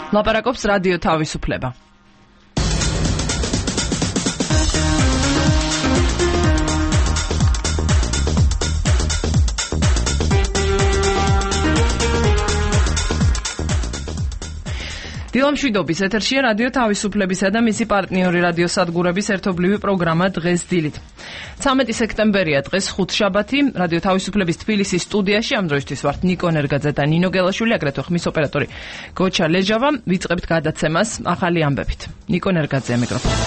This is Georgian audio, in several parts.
ლაპარაკობს რადიო თავისუფლება. დილა მშვიდობის ეთერშია რადიო თავისუფლებისა და მისი პარტნიორი რადიოსადგურების ერთობლივი პროგრამა დღეს დილით. 13 სექტემბერია დღეს ხუთშაბათი. რადიო თავისუფლების თბილისის სტუდიაში ამ დროისთვის ვართ ნიკო ნერგაძე და ნინო გელაშვილი, აგრეთვე ხმის ოპერატორი გოჩა ლეჟავა. ვიწყებთ გადაცემას ახალი ამბებით. ნიკო ნერგაძე მიკროფონი.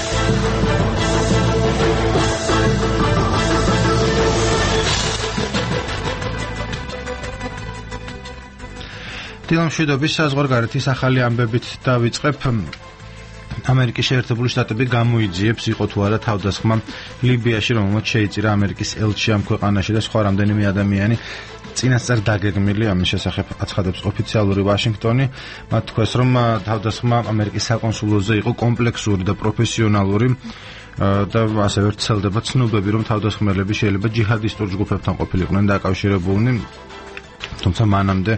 დილა მშვიდობის საზღვარგარეთის ახალი ამბებით დავიწყებ. ამერიკის შეერთებული შტატები გამოიძიებს იყო თუ არა თავდასხმა ლიბიაში, რომელმაც შეიწირა ამერიკის ელჩი ამ ქვეყანაში და სხვა რამდენიმე ადამიანი წინასწარ დაგეგმილი. ამის შესახებ აცხადებს ოფიციალური ვაშინგტონი. მათ თქვეს, რომ თავდასხმა ამერიკის საკონსულოზე იყო კომპლექსური და პროფესიონალური და ასევე ვრცელდება ცნობები, რომ თავდასხმელები შეიძლება ჯიჰადისტურ ჯგუფებთან ყოფილიყვნენ დაკავშირებულნი, თუმცა მანამდე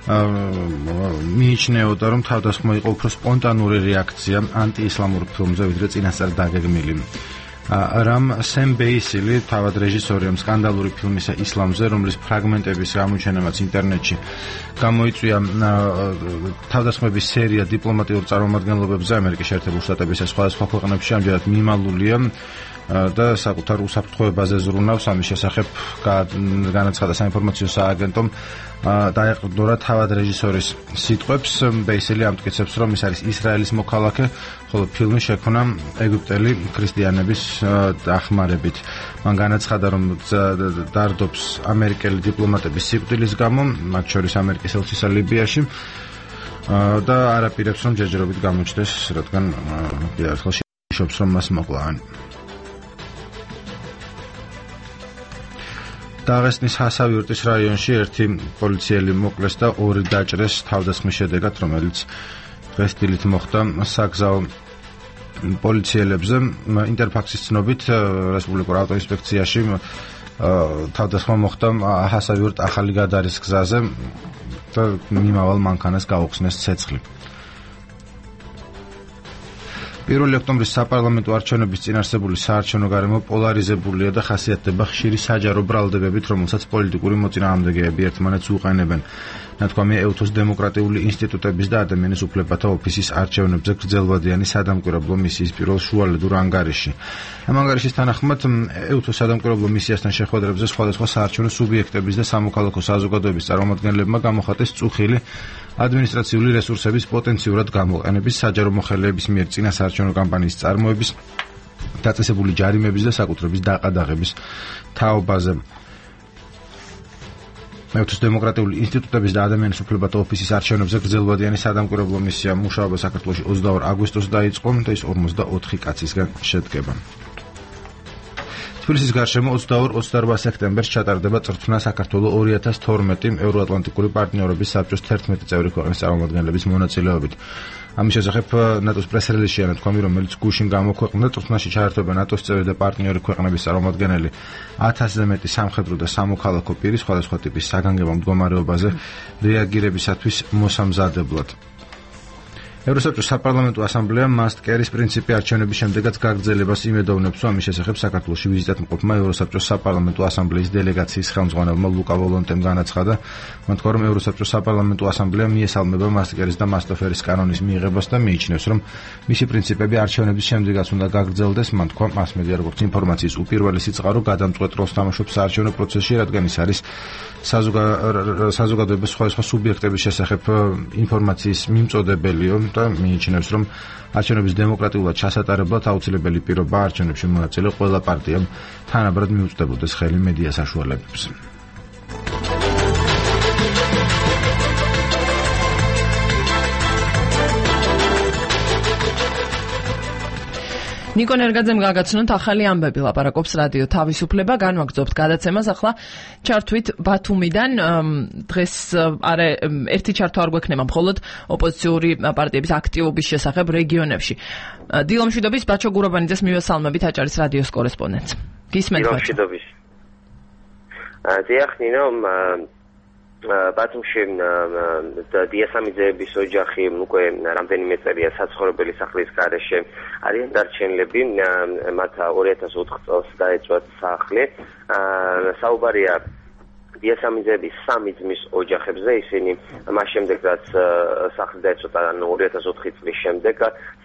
მიიჩნეოდა, რომ თავდასხმა იყო უფრო სპონტანური რეაქცია ანტიისლამურ ფილმზე, ვიდრე წინასწარ დაგეგმილი. რამ სემ ბეისილი, თავად რეჟისორი ამ სკანდალური ფილმისა ისლამზე, რომლის ფრაგმენტების გამოჩენამაც ინტერნეტში გამოიწვია თავდასხმების სერია დიპლომატიურ წარმომადგენლობებზე ამერიკის შეერთებული შტატებისა სხვადასხვა ქვეყნებში, ამჯერად მიმალულია და საკუთარ უსაფრთხოებაზე ზრუნავს. ამის შესახებ განაცხადა საინფორმაციო სააგენტომ დაეყრდნორა თავად რეჟისორის სიტყვებს. ბეისელი ამტკიცებს, რომ ის არის ისრაელის მოქალაქე, ხოლო ფილმი შექმნა ეგვიპტელი ქრისტიანების დახმარებით. მან განაცხადა, რომ დარდობს ამერიკელი დიპლომატების სიკვდილის გამო, მათ შორის ამერიკის ელჩისა ლიბიაში და არაპირებს, რომ ჯერჯერობით გამოჩნდეს, რადგან კიდევ ერთხელ შეშობს, რომ მას მოკლავენ. დაღესტნის ჰასავიურტის რაიონში ერთი პოლიციელი მოკლეს და ორი დაჭრეს თავდასხმის შედეგად, რომელიც დღეს დილით მოხდა საგზაო პოლიციელებზე. ინტერფაქსის ცნობით რესპუბლიკურ ავტოინსპექციაში თავდასხმა მოხდა ჰასავიურტ ახალი გადარის გზაზე და მიმავალ მანქანას გაუხსნეს ცეცხლი. 1 ოქტომბრის საპარლამენტო არჩევნების წინ არსებული საარჩევნო გარემო პოლარიზებულია და ხასიათდება ხშირი საჯარო ბრალდებებით, რომელსაც პოლიტიკური მოწინააღმდეგეები ერთმანეთს უყენებენ. ნათქვამია ეუთოს დემოკრატიული ინსტიტუტების და ადამიანის უფლებათა ოფისის არჩევნებზე გრძელვადიანი სადამკვირვებლო მისიის პირველ შუალედურ ანგარიში. ამ ანგარიშის თანახმად ეუთოს სადამკვირვებლო მისიასთან შეხვედრებზე სხვადასხვა საარჩევნო სუბიექტების და სამოქალაქო საზოგადოების წარმომადგენლებმა გამოხატეს წუხილი ადმინისტრაციული რესურსების პოტენციურად გამოყენების, საჯარო მოხელეების მიერ წინასაარჩევნო კამპანიის წარმოების, დაწესებული ჯარიმების და საკუთრების დაყადაღების თაობაზე. ეუთოს დემოკრატიული ინსტიტუტების და ადამიანის უფლებათა ოფისის არჩევნებზე გრძელვადიანი სადამკვირვებლო მისია მუშაობა საქართველოში 22 აგვისტოს დაიწყო და ის 44 კაცისგან შედგება. თბილისის გარშემო 22-28 სექტემბერს ჩატარდება წრთნა საქართველოს 2012 ევროატლანტიკური პარტნიორობის საბჭოს 11 წევრი ქვეყნის წარმომადგენლების მონაწილეობით. ამის შესახებ ნატოს პრეს-რელიზში ნათქვამი, რომელიც გუშინ გამოქვეყნდა, წრთნაში ჩაერთვება ნატოს წევრი და პარტნიორი ქვეყნების წარმომადგენელი 1000-ზე მეტი სამხედრო და სამოქალაქო პირი სხვადასხვა ტიპის საგანგებო მდგომარეობაზე რეაგირებისათვის მოსამზადებლად. ევროსაბჭოს საპარლამენტო ასამბლეამ მასტკერის პრინციპი არჩევნების შემდეგაც გაგრძელებას იმედოვნებს, ამის შესახებ საქართველოში ვიზიტად მყოფმა ევროსაბჭოს საპარლამენტო ასამბლეის დელეგაციის ხელმძღვანელმა ლუკა ვოლონტემ განაცხადა, თქვა, რომ ევროსაბჭოს საპარლამენტო ასამბლეა მიესალმება მასტკერის და მასტოფერის კანონის მიღებას და მიიჩნევს, რომ მისი პრინციპები არჩევნების შემდეგაც უნდა გაგრძელდეს. მან თქვა, მასმედია როგორც ინფორმაციის უპირველესი წყარო გადამწყვეტ როლს თამაშობს საარჩევნო პროცესში, რადგან ის არის საზოგადოების სხვადასხვა სუბიექტების შესახებ ინფორმაციის მიმწოდებელიო და მიიჩნევს, რომ არჩევნების დემოკრატიულად ჩასატარებლად აუცილებელი პირობა არჩევნებში მონაწილე ყველა პარტიამ თანაბრად მიუწვდებოდეს ხელი მედია საშუალებებს. ნიკო ნერგაძემ გაგაცნოთ ახალი ამბები, ლაპარაკობს რადიო თავისუფლება. განვაგრძობთ გადაცემას. ახლა ჩართვით ბათუმიდან. დღეს ერთი ჩართვა არ გვექნება მხოლოდ ოპოზიციური პარტიების აქტივობის შესახებ რეგიონებში. დილა მშვიდობის, ბაჩო გურაბანიძეს მივესალმებით, აჭარის რადიოს კორესპონდენტს. გისმენთ ბაჩო. დიახ, ნინო, ბათუმში დიასამიძეების ოჯახი უკვე რამდენიმე წელია საცხოვრებელი სახლის გარეშე არიან დარჩენილები, მათ 2004 წელს დაეწვათ სახლი. საუბარია დიასამიძეების 3 ძმის ოჯახებზე, ისინი მას შემდეგ რაც სახლი დაეწვათ 2004 წლის შემდეგ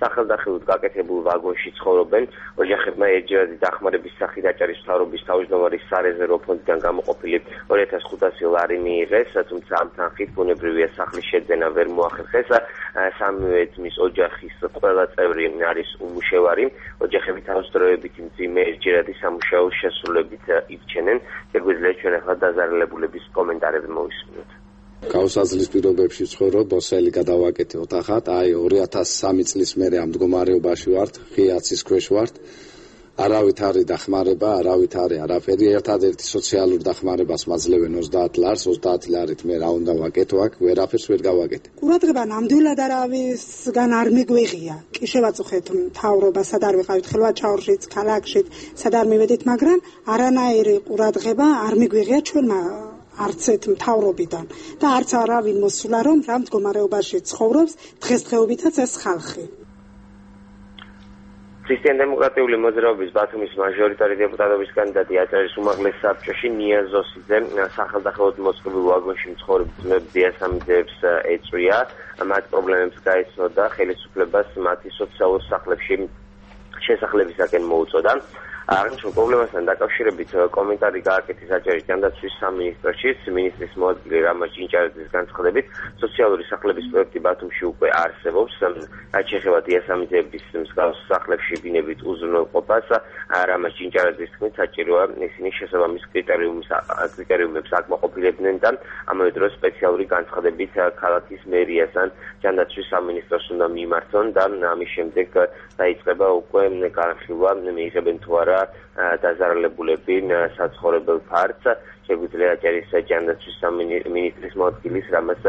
სახელდახელოდ გაკეთებულ ვაგონში ცხოვრობენ. ოჯახებმა ერთჯერადი დახმარების სახით აჭარის მთავრობის თავმჯდომარის სარეზერვო ფონდიდან გამოყოფილი 2500 ლარი მიიღეს, თუმცა ამ თანხით ბუნებრივია სახლის შეძენა ვერ მოახერხეს. სამივე ძმის ოჯახის ყველა წევრი არის უმუშევარი. ოჯახები თავისდროებით მძიმე ერთჯერადი სამუშაო შესრულებით ირჩენენ. შეგვიძლია ჩვენ ახლა დაზარალებულების კომენტარები მოვისმინოთ. გაუსაძლის პირობებში ვცხოვრობ, მოსელი გადავაკეთე ოთახად, 2003 წლის მერე ამ მდგომარეობაში ვართ, ღიაცის ქვეშ ვართ. არავით არის დახმარება, არავით არის არაფერი, ერთადერთი სოციალურ დახმარებას მაძლევენ 30 ლარს, 30 ლარით მე რა უნდა ვაკეთო აქ, ვერაფერს ვერ გავაკეთე. ყურადღება ნამდვილად არავისგან არ მიგვიღია. კი შევაწუხეთ მთავრობა, სად არ ვიყავით ხელვაჩაურშიც, ქალაქშიც, სად არ მივედით, მაგრამ არანაირი ყურადღება არ მიგვიღია ჩვენმა არც ერთ მთავრობიდან და არც არავინ მოსულა, რომ რა მდგომარეობაში ცხოვრობს დღესდღეობითაც ეს ხალხი. ქრისტიან-დემოკრატიული მოძრაობის ბათუმის მაჟორიტარი დეპუტატობის კანდიდატი აჭარის უმაღლეს საბჭოში ნიაზოსიძე სახელდახელოდ მოწყობილ ვაგონში მცხოვრებ ძმებს დიასამიძეებს ეწვია. მათ პრობლემებს გაეცნოდა, ხელისუფლებას მათი სოციალურ სახლებში შესახლებისაკენ მოუწოდა. აღნიშნულ პრობლემასთან დაკავშირებით კომენტარი გააკეთეს აჭარის ჯანდაცვის სამინისტროშიც. მინისტრის მოადგილე რამა ჭინჭარაძის განცხადებით, სოციალური სახლების პროექტი ბათუმში უკვე არსებობს. რაც შეეხება დიასამიძეების მსგავს სახლებში ბინებით უზრუნველყოფას, რამა ჭინჭარაძის თქმით, საჭიროა ისინი შესაბამის კრიტერიუმებს აკმაყოფილებდნენ და ამავე დროს სპეციალური განცხადებით ქალაქის მერიასთან ჯანდაცვის სამინისტროს უნდა მიმართონ და ამის შემდეგ დაიწყება უკვე განხილვა, მიიღებენ თუ არა დაზარალებულები საცხოვრებელ ფართს. შეგვიძლია აჭარის ჯანდაცვის სამინისტრის მოადგილის რამას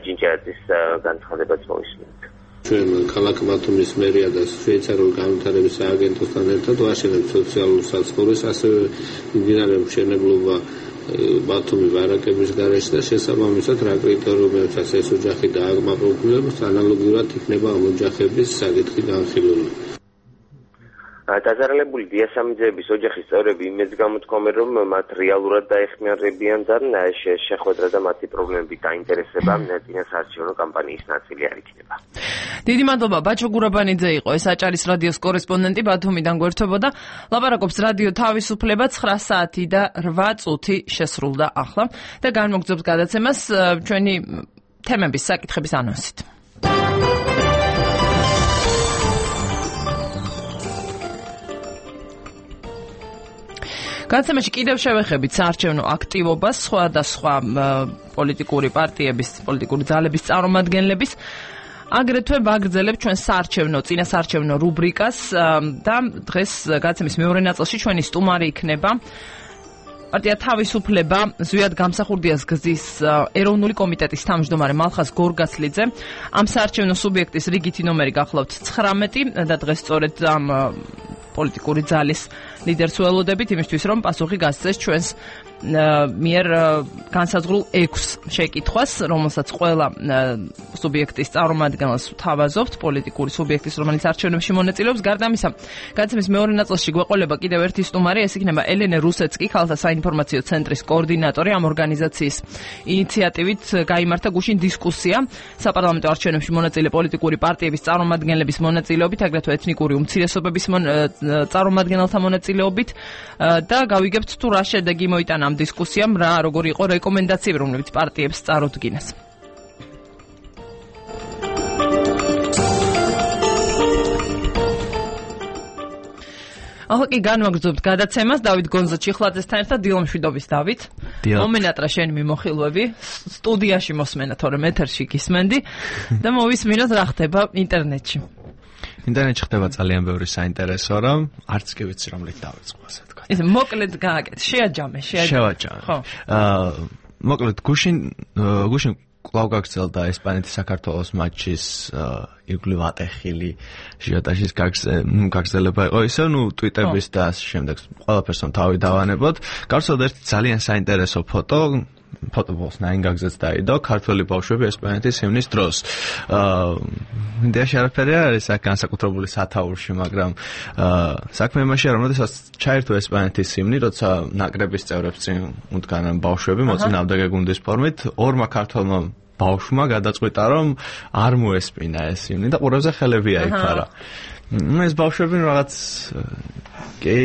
ჭინჭარაძის განცხადებაც მოვისმინოთ. ჩვენ ქალაქ ბათუმის მერია და შვეიცარიული განვითარების სააგენტოსთან ერთად ვაშენებთ სოციალურ საცხოვრებელს, ასევე მიმდინარე მშენებლობა ბათუმის ბარაკების გარეშე და შესაბამისად რა კრიტერიუმებსაც ეს ოჯახი დააკმაყოფილებს, ანალოგიურად იქნება ამ ოჯახების საკითხი განხილული. დაზარალებული დიასამიძეების ოჯახის წევრები იმედს გამოთქვამენ, რომ მათ რეალურად დაეხმარებიან და შეხვედრა და მათი პრობლემებით დაინტერესება წინასაარჩევნო კამპანიის ნაწილი არ იქნება. დიდი მადლობა, ბაჩო გურაბანიძე იყო ეს აჭარის რადიოს კორესპონდენტი ბათუმიდან გვერდებოდა. ლაპარაკობს რადიო თავისუფლება 9 საათი და 8 წუთი შესრულდა ახლა და განმოგრძობს გადაცემას ჩვენი თემების საკითხების ანონსით. გადაცემაში კიდევ შევეხებით საარჩევნო აქტივობას, სხვადასხვა პოლიტიკური პარტიების, პოლიტიკური ძალების წარმომადგენლების. აგრეთვე ვაგრძელებ ჩვენ წინასაარჩევნო რუბრიკას და დღეს გადაცემის მეორე ნაწილში ჩვენი სტუმარი იქნება პარტია თავისუფლება ზვიად გამსახურდიას გზის ეროვნული კომიტეტის თავმჯდომარე მალხაზ გორგასლიძე. ამ საარჩევნო სუბიექტის რიგითი ნომერი გახლავთ 19 და დღეს სწორედ ამ პოლიტიკური ძალის ლიდერს ველოდებით იმისთვის, რომ პასუხი გასცეს ჩვენს მიერ განსაზღვრულ 6 შეკითხვას, რომელსაც ყველა სუბიექტის წარმომადგენელს ვთავაზობთ, პოლიტიკური სუბიექტის, რომელიც არჩევნებში მონაწილეობს. გარდა ამისა, გადაცემის მეორე ნაწილში გვეყოლება კიდევ ერთი სტუმარი, ეს იქნება ელენე რუსეცკი, ხალხთა საინფორმაციო ცენტრის კოორდინატორი. ამ ორგანიზაციის ინიციატივით გაიმართა გუშინ დისკუსია საპარლამენტო არჩევნებში მონაწილე პოლიტიკური პარტიების წარმომადგენლების მონაწილეობით, აგრეთვე ეთნიკური უმცირესობების წარმომადგენელთა მონაწილეობით და გავიგებთ თუ რა შედეგი მოიტანა ამ დისკუსიამ, რა როგორი იყო რეკომენდაციები, რომლებიც პარტიებს წარუდგინეს. ახლა კი განვაგრძობთ გადაცემას დავით გონზა-ჩიხლაძესთან ერთად. დილომშვიდობის დავით. მომენატრა შენი მიმოხილვები, სტუდიაში მოსმენა, თორემ ეთერში გისმენდი და მოვისმინოთ რა ხდება ინტერნეტში. ინტერნეტში ხდება ძალიან ბევრი საინტერესო, რომ არც კი ვიცი რომლით დავიწყო, ასე თქვა. ისე მოკლედ გააკეთე, შეაჯამე. ხო. მოკლედ გუშინ კვლავ გაგრძელდა ესპანეთის საქართველოს მატჩის ირგვლივ ატეხილი ჟიოტაჟის გაგრძელება იყო ისე, ტვიტების და ამ შემდეგ ყველაფერს თავი დავანებოთ. გავსწორდა ერთი ძალიან საინტერესო ფოტო, ფოტობოლს ნაინგაგზეც დაიდო ქართველი ბავშვები ესპანეთის ჰიმნის დროს. იდეაში არაფერი არ არის აქ განსაკუთრებული სათაურში, მაგრამ საქმე იმაშია, რომ როდესაც ჩაერთო ესპანეთის ჰიმნი, როცა ნაკრების წევრებს წინ უდგან ბავშვები მოწინააღმდეგე გუნდის ფორმით, ორმა ქართველმა ბავშვმა გადაწყვიტა, რომ არ მოესპინა ეს ჰიმნი და ყურებზე ხელები აიფარა. ეს ბავშვები რაღაც კი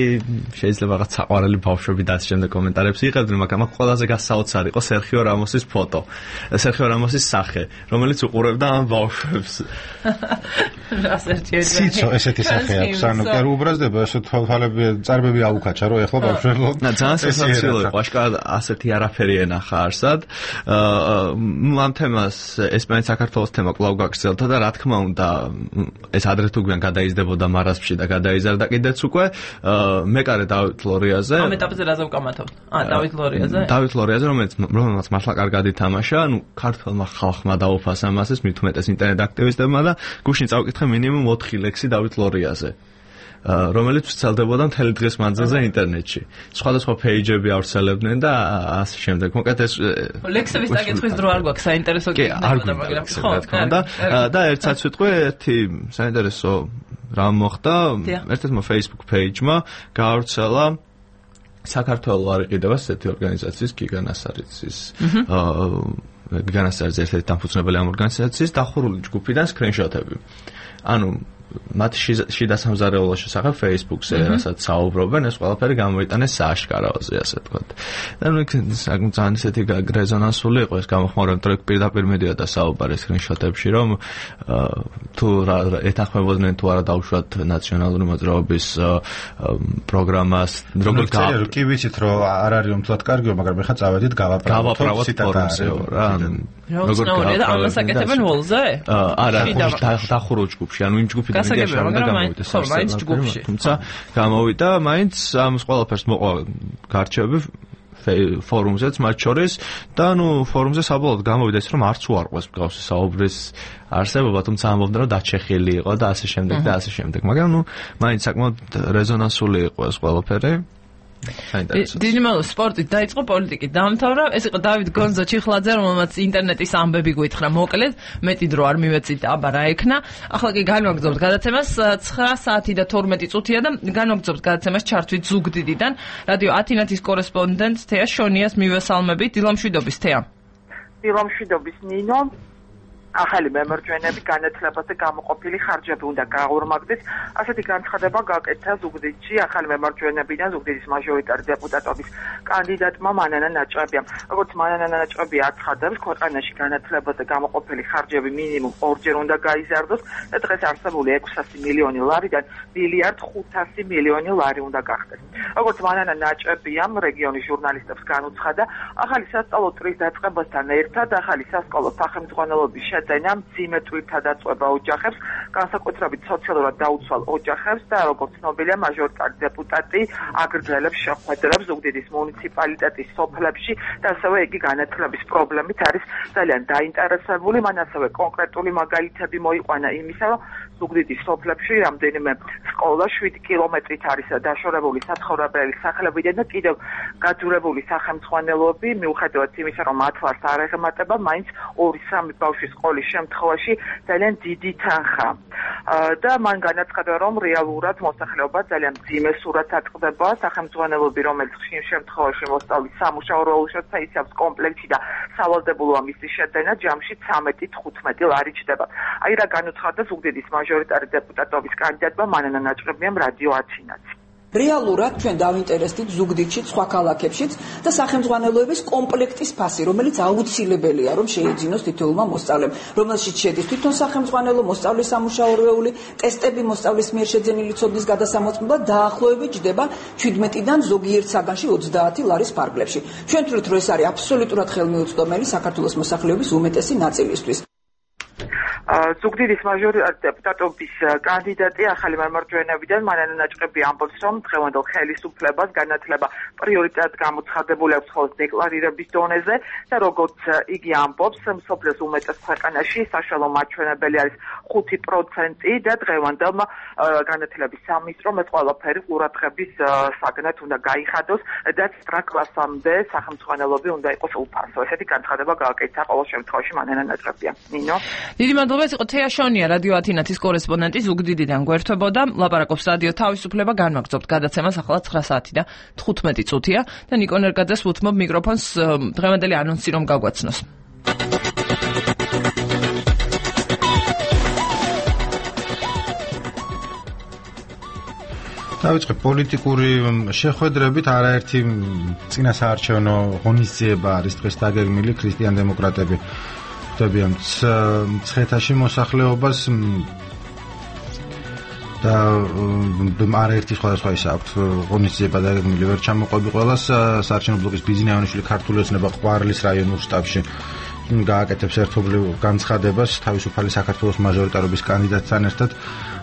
შეიძლება რაღაც საყვარელი ბავშვები და ამ შემდეგ კომენტარებს იღებდნენ, მაგრამ აქ ყველაზე გასაოცარი იყო სერხიო რამოსის ფოტო. სერხიო რამოსის სახე, რომელიც უყურებდა ამ ბავშვებს. ციცო ესეთი სახე აქვს, ანუ კი არ უბრაზდება, ეს თვალები წარბები აუკაჩა, რომ ეხლა ბავშვებო. ძალიან სასაცილო იყო, აშკარად ასეთი არაფერი ენახა არსად. ამ თემას ესპანეთის საქართველოს თემა კვლავ გაგრძელდა და რა თქმა უნდა, ეს ადრე თუ გვიან გადაიზრდებოდა მარასპში და გადაიზარდა კიდეც უკვე მეკარე დავით ლორიაზე. ამ ეტაპზე რაზე ვკამათობთ? დავით ლორიაზე. დავით ლორიაზე, რომელიც მართლა კარგად ითამაშა, ანუ ქართველმა ხალხმა დაუფასა მასეს, მით უმეტეს ინტერნეტ აქტივისტებმა და გუშინ წავკითხე მინიმუმ 4 ლექსი დავით ლორიაზე. რომელიც ვრცელდებოდა მთელი დღის მანძილზე ინტერნეტში. სხვადასხვა პეიჯები ავრცელებდნენ და ასე შემდეგ. მოკლედ ეს ლექსების დაკითხვის დრო არ გვაქვს საინტერესო გქონდა, მაგრამ და ერთ სიტყვე ერთი საინტერესო რა მოხდა, ერთ-ერთმა Facebook page-მა გაავრცელა საქართველოს არ იყიდება ესეთი ორგანიზაციის გიგანასარიცის გიგანასარიცის ერთ-ერთი დამფუძნებელი ამ ორგანიზაციის დახურული ჯგუფიდან სკრინშოტები. ანუ მათ შიდა სამზარეულოს შესახებ Facebook-ზე რასაც საუბრობენ, ეს ყველაფერი გამოიტანეს სააშკაროზე, ასე ვთქვათ. და ნუ ძალიან ისეთი რეზონანსული იყო ეს გამოხმაურება, იმიტომ რომ პირდაპირ მედია და საუბარი სკრინშოტებში, რომ თუ ეთანხმებოდნენ თუ არა დაუშვათ ნაციონალური მოძრაობის პროგრამას, როგორ კი ვიცით რომ არ არის უმთლად კარგიო, მაგრამ ეხლა წავედით გავაправოთ ფორუმზე რა. როგორ ამასაკეთებენ ვოლზე? არა, დახურულ ჯგუფში, ანუ იმ ჯგუფიდან თუმცა გამოვიდა მაინც ამ ყველაფერს მოყვა გარჩევები ფორუმზეც მათ შორის და ნუ ფორუმზე საბოლოოდ გამოვიდა ის რომ არც უარყვეს მსგავსი საუბრის არსებობა, თუმცა ამბობდნენ რომ დაჩეხილი იყო და ასე შემდეგ და ასე შემდეგ, მაგრამ ნუ მაინც საკმაოდ რეზონანსული იყო ეს ყველაფერი. დინამო სპორტით დაიწყო, პოლიტიკით დაამთავრა. ეს იყო დავით გონზო ჩიხლაძე, რომელმაც ინტერნეტის ამბები გვითხრა მოკლედ, მეტი დრო არ მივეწით, აბა რა ექნა. ახლა კი განვაგრძობთ გადაცემას 9 საათი და 12 წუთია და განვაგრძობთ გადაცემას ჩართვით ზუგდიდიდან. რადიო ათინათის კორესპონდენტ თეა შონიას მივესალმებით. დილამშვიდობის თეა. დილამშვიდობის ნინო. ახალი მემარჯვენეები განათლებაზე გამოყოფილი ხარჯები უნდა გაორმაგდეს. ასეთი განცხადება გაკეთა ზუგდიდში ახალი მემარჯვენეებიდან ზუგდიდის მაჟორიტარი დეპუტატობის კანდიდატმა მანანა ნაჭყებიამ. როგორც მანანა ნაჭყები აცხადებს, ქვეყანაში განათლებაზე გამოყოფილი ხარჯები მინიმუმ 2-ჯერ უნდა გაიზარდოს და დღეს არსებული 600 მილიონი ლარიდან 1,5 მილიონი ლარი უნდა გახდეს. როგორც მანანა ნაჭყებიამ რეგიონის ჟურნალისტებს განუცხადა, ახალი სასწავლო წრის დაწყებასთან ერთად ახალი სასკოლო სახელმძღვანელოების დენამ სიმეტრითა დაწყვება ოჯახებს, განსაკუთრებით სოციალურად დაუცვალ ოჯახებს და როგორც ცნობილია მაჟორიტარი დეპუტატი აგრძელებს შეხვედრებს ზუგდიდის მუნიციპალიტეტის სოფლებში და ასევე იგი განათლების პრობლემით არის ძალიან დაინტერესებული. მან ასევე კონკრეტული მაგალითები მოიყვანა იმისა, რომ ზუგდიდის სოფლებში რამდენიმე სკოლა 7 კილომეტრით არის დაშორებული საცხოვრებელი სახლებიდან და კიდევ გაძურებული სახელმძღვანელოები მიუხედავად იმისა, რომ მათ ვარს არ ეხმატება, მაინც 2-3 ბავშვის სკოლის შემთხვევაში ძალიან დიდი თანხა. და მან განაცხადა, რომ რეალურად მოსახლეობა ძალიან მძიმე სურათს აწყდება, სახელმძღვანელოები, რომელიც ხშირ შემთხვევაში მოსწავლის სამუშაო როლშიც აიცავს კომპლექტში და სავალდებულოა მისი შეძენა ჯამში 13-15 ლარი ჩდება. აი რა განუცხადა ზუგდიდის მაჟორიტარი დეპუტატობის კანდიდატმა მანანა ნაჭყებიამ რადიო ათინათი. რეალურად ჩვენ დავინტერესდით ზუგდიდშიც, სხვა ქალაქებშიც და სახელმძღვანელოების კომპლექტის ფასი, რომელიც აუცილებელია, რომ შეიძინოს თითოეულმა მოსწავლემ, რომელშიც შედის თვითონ სახელმძღვანელო, მოსწავლის სამუშაორეული, ტესტები, მოსწავლის მიერ შეძენილი ცოდნის გადასამოწმება დაახლოებით ჯდება 17-დან ზოგიერთ საგანში 30 ლარის ფარგლებში. ჩვენ ვთვლით, რომ ეს არის აბსოლუტურად ხელმიუწვდომელი საქართველოს მოსახლეობის უმეტესი ნაწილისთვის. ზუგდიდის მაჟორიტარული დეპუტატობის კანდიდატი ახალი მემარჯვენეებიდან მანანა ნაჭყები ამბობს, რომ დღევანდელ ხელისუფლებას განათლება პრიორიტეტად გამოცხადებული აქვს ხოლმე დეკლარირების დონეზე და როგორც იგი ამბობს, მსოფლიოს უმეტეს ქვეყანაში საშუალო მაჩვენებელი არის 5% და დღევანდელ განათლების სამინისტრომ ეს ყველაფერი ყურადღების საგნად უნდა გაიხადოს და სტრაკლასამდე სახელმწიფოები უნდა იყოს უფასო. ესეთი განცხადება გააკეთა ყოველ შემთხვევაში მანანა ნაჭყებია. ნინო. დიდი მადლობა, ეს იყო თეა შონია, რადიო ათინათის კორესპონდენტი ზუგდიდიდან გვერდებოდა. ლაპარაკობს რადიო თავისუფლება, განვაგრძობთ გადაცემას ახლა 9 საათი და 15 წუთია და ნიკო ნერგაძეს ვუთმობ მიკროფონს დღევანდელი ანონსი რომ გაგვაცნოს. დავიწყებ პოლიტიკური შეხვედრებით, არაერთი წინასაარჩევნო ღონისძიება არის დღეს დაგეგმილი. ქრისტიან-დემოკრატები ხვდებიან მცხეთაში მოსახლეობას და არაერთი სხვადასხვა ის აქვს ღონისძიება დაგეგმილი. ვერ ჩამოყვები ყველას. საარჩევნო ბლოკის ბიზნე აივანიშვილი ქართული ოცნება ყვარლის რაიონულ შტაბში გააკეთებს ერთობლივ განცხადებას თავისუფალი საქართველოს მაჟორიტარობის კანდიდატთან ერთად.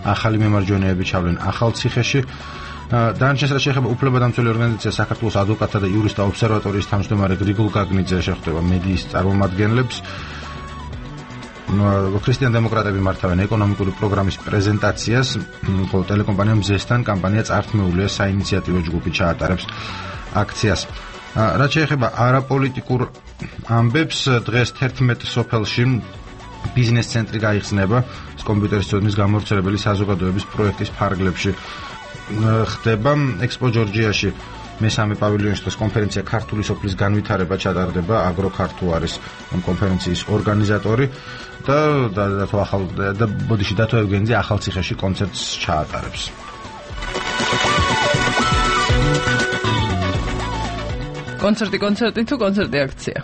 ახალი მემარჯვენეები ჩავლენ ახალციხეში. დანარჩენს რაც შეეხება უფლებადამცველი ორგანიზაცია საქართველოს ადვოკატთა და იურისტთა ობსერვატორიის თავმჯდომარე გრიგოლ გაგნიძე შეხვდება მედიის წარმომადგენლებს. ქრისტიან-დემოკრატები მართავენ ეკონომიკური პროგრამის პრეზენტაციას, ხოლო ტელეკომპანია მზესთან კამპანია წართმეულია საინიციატივო ჯგუფი ჩაატარებს აქციას. რაც შეეხება არაპოლიტიკურ ამბებს, დღეს 11 სოფელში ბიზნეს ცენტრი გაიხსნება კომპიუტერის ცოდნის გამავრცელებელი საზოგადოების პროექტის ფარგლებში. ხდება ექსპო ჯორჯიაში მესამე პავილიონში დღეს კონფერენცია ქართული სოფლის განვითარება ჩატარდება. აგროქართულ არის კონფერენციის ორგანიზატორი და ბოდიში დათო ევგენიძე ახალციხეში კონცერტს ჩაატარებს. კონცერტი თუ კონცერტი აქცია?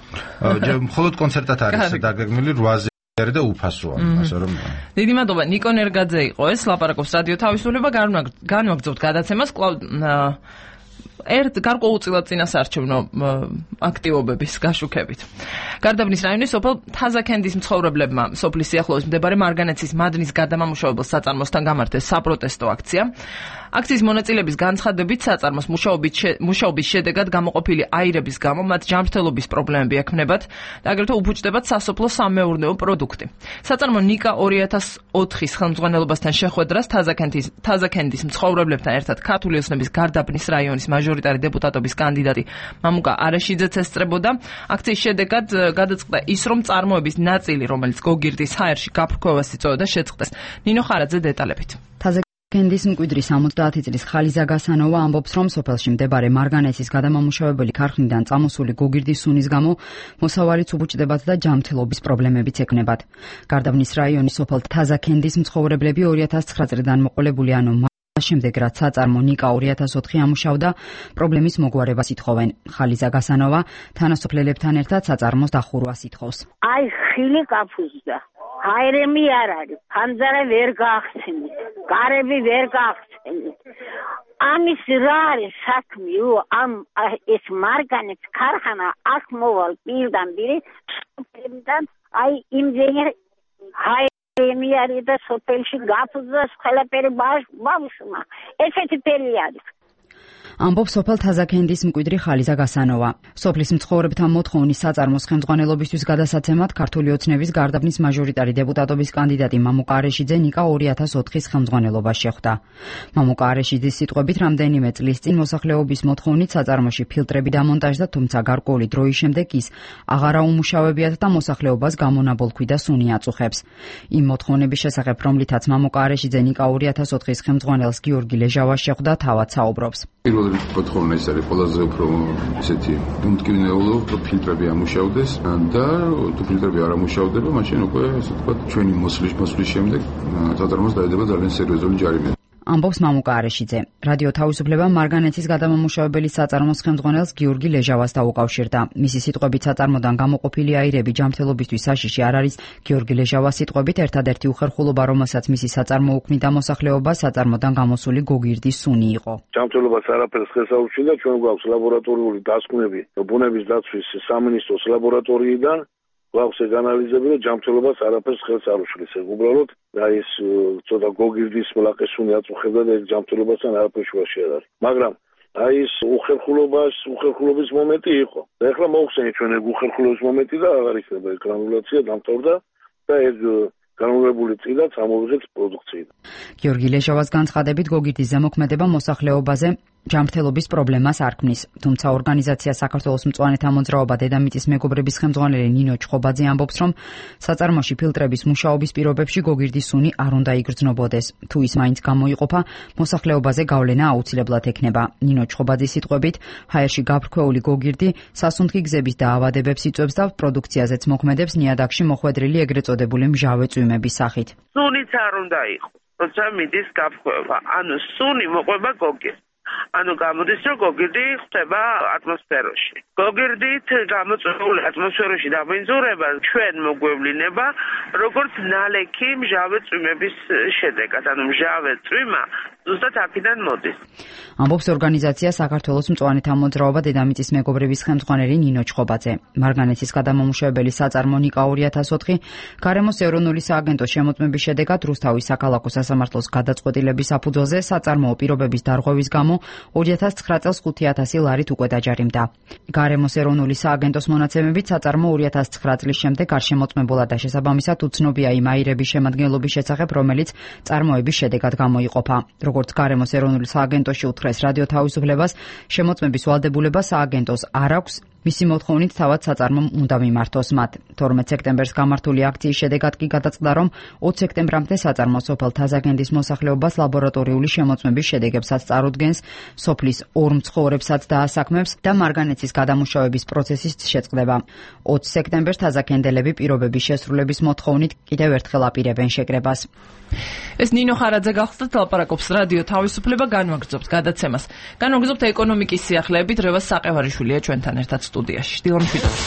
მხოლოდ კონცერტად არის დაგეგმილი 8-ზე და უფასოა, ასე რომ. დიდი მადლობა, ნიკო ნერგაძე იყო ეს, ლაპარაკობს რადიო თავისუფლება, განვაგრძობთ გადაცემას კვლავ გარკვეულწილად წინასაარჩევნო აქტივობების გაშუქებით. გარდაბნის რაიონის სოფელ თაზაკენდის მცხოვრებლებმა სოფლის სიახლოვეს მდებარე მარგანეცის მადნის გადამამუშავებელ საწარმოსთან გამართეს საპროტესტო აქცია. აქციის მონაწილეების განცხადებით საწარმოს მუშაობის შედეგად გამოყოფილი აირების გამო მათ ჯანმრთელობის პრობლემები ექმნებათ და აგრეთვე უფუჭდებათ სასოფლო-სამეურნეო პროდუქტი. საწარმო ნიკა 2004-ის ხელმძღვანელობასთან შეხვედრას თაზაკენდის მცხოვრებლებთან ერთად ქართული ოცნების გარდაბნის რაიონის მაჟორიტარი დეპუტატობის კანდიდატი მამუკა არაშიძეც ესწრებოდა. აქციის შედეგად გადაწყდა ის, რომ წარმოების ნაწილი, რომელიც გოგირდის ჰაერში გაფრქვევას იწვევდა, შეწყდეს. ნინო ხარაძე დეტალებით. კენდის მკვიდრი 70 წლის ხალიზა გასანოვა ამბობს, რომ სოფელში მდებარე მარგანეცის გადამამუშავებელი ქარხნიდან წამოსული გოგირდის სუნის გამო მოსავალიც უბუჭდებათ და ჯანმრთელობის პრობლემებიც ექნებათ. გარდაბნის რაიონის სოფელ თაზაკენდის მცხოვრებლები 2009 წლიდან მოყოლებული ანუ შემდეგ რაც საწარმო ნიკა 2004 ამუშავდა, პრობლემის მოგვარებას ითხოვენ. ხალიზა გასანოვა თანასოფლელებთან ერთად საწარმოს დახურვას ითხოვს. აი ხილი კაფუზდა. აირემი არ არის, ფანძარა ვერ გაახსენეთ, გარები ვერ გაახსენეთ. ამის რა არის საქმე? ამ ეს მარგანეც ქარხანა აქ მოვალ პირდან აი იმდენი აირემი არის და სოფელში გაფუძდა ყველაფერი ბავშვმა. ესეთი ფერი არის. ამბობს სოფელ თაზაკენდის მკვიდრი ხალიზა გასანოვა. სოფლის მცხოვრებთა მოთხოვნის საწარმოს ხელმძღვანელობისთვის გადასაცემად ქართული ოცნების გარდაბნის მაჟორიტარი დეპუტატობის კანდიდატი მამუკა არაშიძე ნიკა 2004-ის ხელმძღვანელობაში ხვდა. მამუკა არაშიძის სიტყვებით, რამდენიმე წლის წინ მოსახლეობის მოთხოვნით საწარმოში ფილტრები დამონტაჟდა, თუმცა გარკვეული დროის შემდეგ ის აღარ აუმუშავებიათ და მოსახლეობას გამონაბოლქვი და სუნი აწუხებს. იმ მოთხოვნების შესახებ, რომლითაც მამუკა არაშიძე ნიკა 2004-ის ხელმძღვანელს გიორგი ლეჟავას შეხვდა, თავად საუბრობს. მოთხოვნა ის არის ყველაზე უფრო ესეთი უმტკივნეულო, რომ ფილტრები ამუშავდეს და თუ ფილტრები არ ამუშავდება, მაშინ უკვე ასე ვთქვათ, ჩვენი მოსვლის შემდეგ საწარმოს დაედება ძალიან სერიოზული ჯარიმი. ამბობს მამუკა არაშიძე. რადიო თავისუფლება მარგანეცის გადამამუშავებელი საწარმოს ხელმძღვანელს გიორგი ლეჟავას დაუკავშირდა. მისი სიტყვებით საწარმოდან გამოყოფილი აირები ჯანმრთელობისთვის საშიში არ არის. გიორგი ლეჟავას სიტყვებით ერთადერთი უხერხულობა, რომელსაც მისი საწარმო უქმნიდა მოსახლეობას, საწარმოდან გამოსული გოგირდის სუნი იყო. ჯანმრთელობას არაფერს ხელს აუჩინდა, ჩვენ გვაქვს ლაბორატორიული დასკვნები ბუნების დაცვის სამინისტროს ლაბორატორიიდან გვაქვს ეგ ანალიზები, რომ ჯანმრთელობას არაფერს ხელს არ უშლის. ეგ უბრალოდ ეს ცოტა გოგირდის მლაყესუნი აწუხებდა და ეგ ჯანმრთელობასთან არაფერ შუაში არ არის. მაგრამ ეს უხერხულობის მომენტი იყო. და ეხლა მოხსენეთ ჩვენ ეგ უხერხულობის მომენტი და აღარ იქნება ეგ გრანულაცია დამთავრდა და ეგ განუღებული წილად ამოვიღეთ პროდუქციიდან. გიორგი ლეჟავას განცხადებით გოგირდის ზემოქმედება მოსახლეობაზე ჯანმრთელობის პრობლემას არ ქმნის. თუმცა ორგანიზაცია საქართველოს მწვანეთა მოძრაობა დედამიწის მეგობრების ხელმძღვანელი ნინო ჩხობაძე ამბობს, რომ საწარმოში ფილტრების მუშაობის პირობებში გოგირდის სუნი არ უნდა იგრძნობოდეს. თუ ის მაინც გამოიყოფა, მოსახლეობაზე გავლენა აუცილებლად ექნება. ნინო ჩხობაძის სიტყვებით, ჰაერში გაბრქვეული გოგირდი სასუნთქი გზების დაავადებებს იწვევს და პროდუქციაზეც მოქმედებს ნიადაგში მოხვედრილი ეგრეთ წოდებული მჟავე წვიმების სახით. სუნიც არ უნდა იყოს, როცა მიდის გაფრქვევა. ანუ სუნი მოყვება გოგირდს. ანუ გამოდის, რომ გოგირდი ხდება ატმოსფეროში. გოგირდით გამოწვეული ატმოსფეროში დაბინძურება ჩვენ მოგვევლინება როგორც ნალექი მჟავე წვიმების შედეგად. ანუ მჟავე წვიმა ზუსტად აქედან მოდის. ამბობს ორგანიზაცია საქართველოს მწვანეთა მოძრაობა დედამიწის მეგობრების ხელმძღვანელი ნინო ჩხობაძე. მარგანეცის გადამამუშავებელი საწარმო ნიკა 2004 გარემოს ეროვნული სააგენტოს შემოწმების შედეგად რუსთავის საქალაქო სასამართლოს გადაწყვეტილების საფუძველზე საწარმოო პირობების დარღვევის გამო 2009 წელს 5000 ლარით უკვე დაჯარიმდა. გარემოს ეროვნული სააგენტოს მონაცემებით საწარმო 2009 წლის შემდეგ არ შემოწმებულა და შესაბამისად უცნობია იმ აირების შემადგენლობის შესახებ, რომელიც წარმოების შედეგად გამოიყოფა. როგორც გარემოს ეროვნული სააგენტოში უთხრეს რადიო თავისუფლებას, შემოწმების ვალდებულება სააგენტოს არ აქვს. მისი მოთხოვნით თავად საწარმომ უნდა მიმართოს მათ. 12 სექტემბერს გამართული აქციის შედეგად კი გადაწყდა, რომ 20 სექტემბრამდე საწარმო სოფელ თაზაგენდის მოსახლეობას ლაბორატორიული შემოწმების შედეგებსაც წარუდგენს, სოფლის ორ მცხოვრებსაც დაასაქმებს და მარგანეცის გადამუშავების პროცესის შეწყდება. 20 სექტემბერს თაზაგენდელები პირობების შესრულების მოთხოვნით კიდევ ერთხელ აპირებენ შეკრებას. ეს ნინო ხარაძე გახლდათ, ლაპარაკობს რადიო თავისუფლება, განვაგრძობთ გადაცემას. განვაგრძობთ ეკონომიკის სიახლეებით, რევას საყევარიშვილია ჩვენთან ერთად სტუდიაში. დილო მშვიდობით.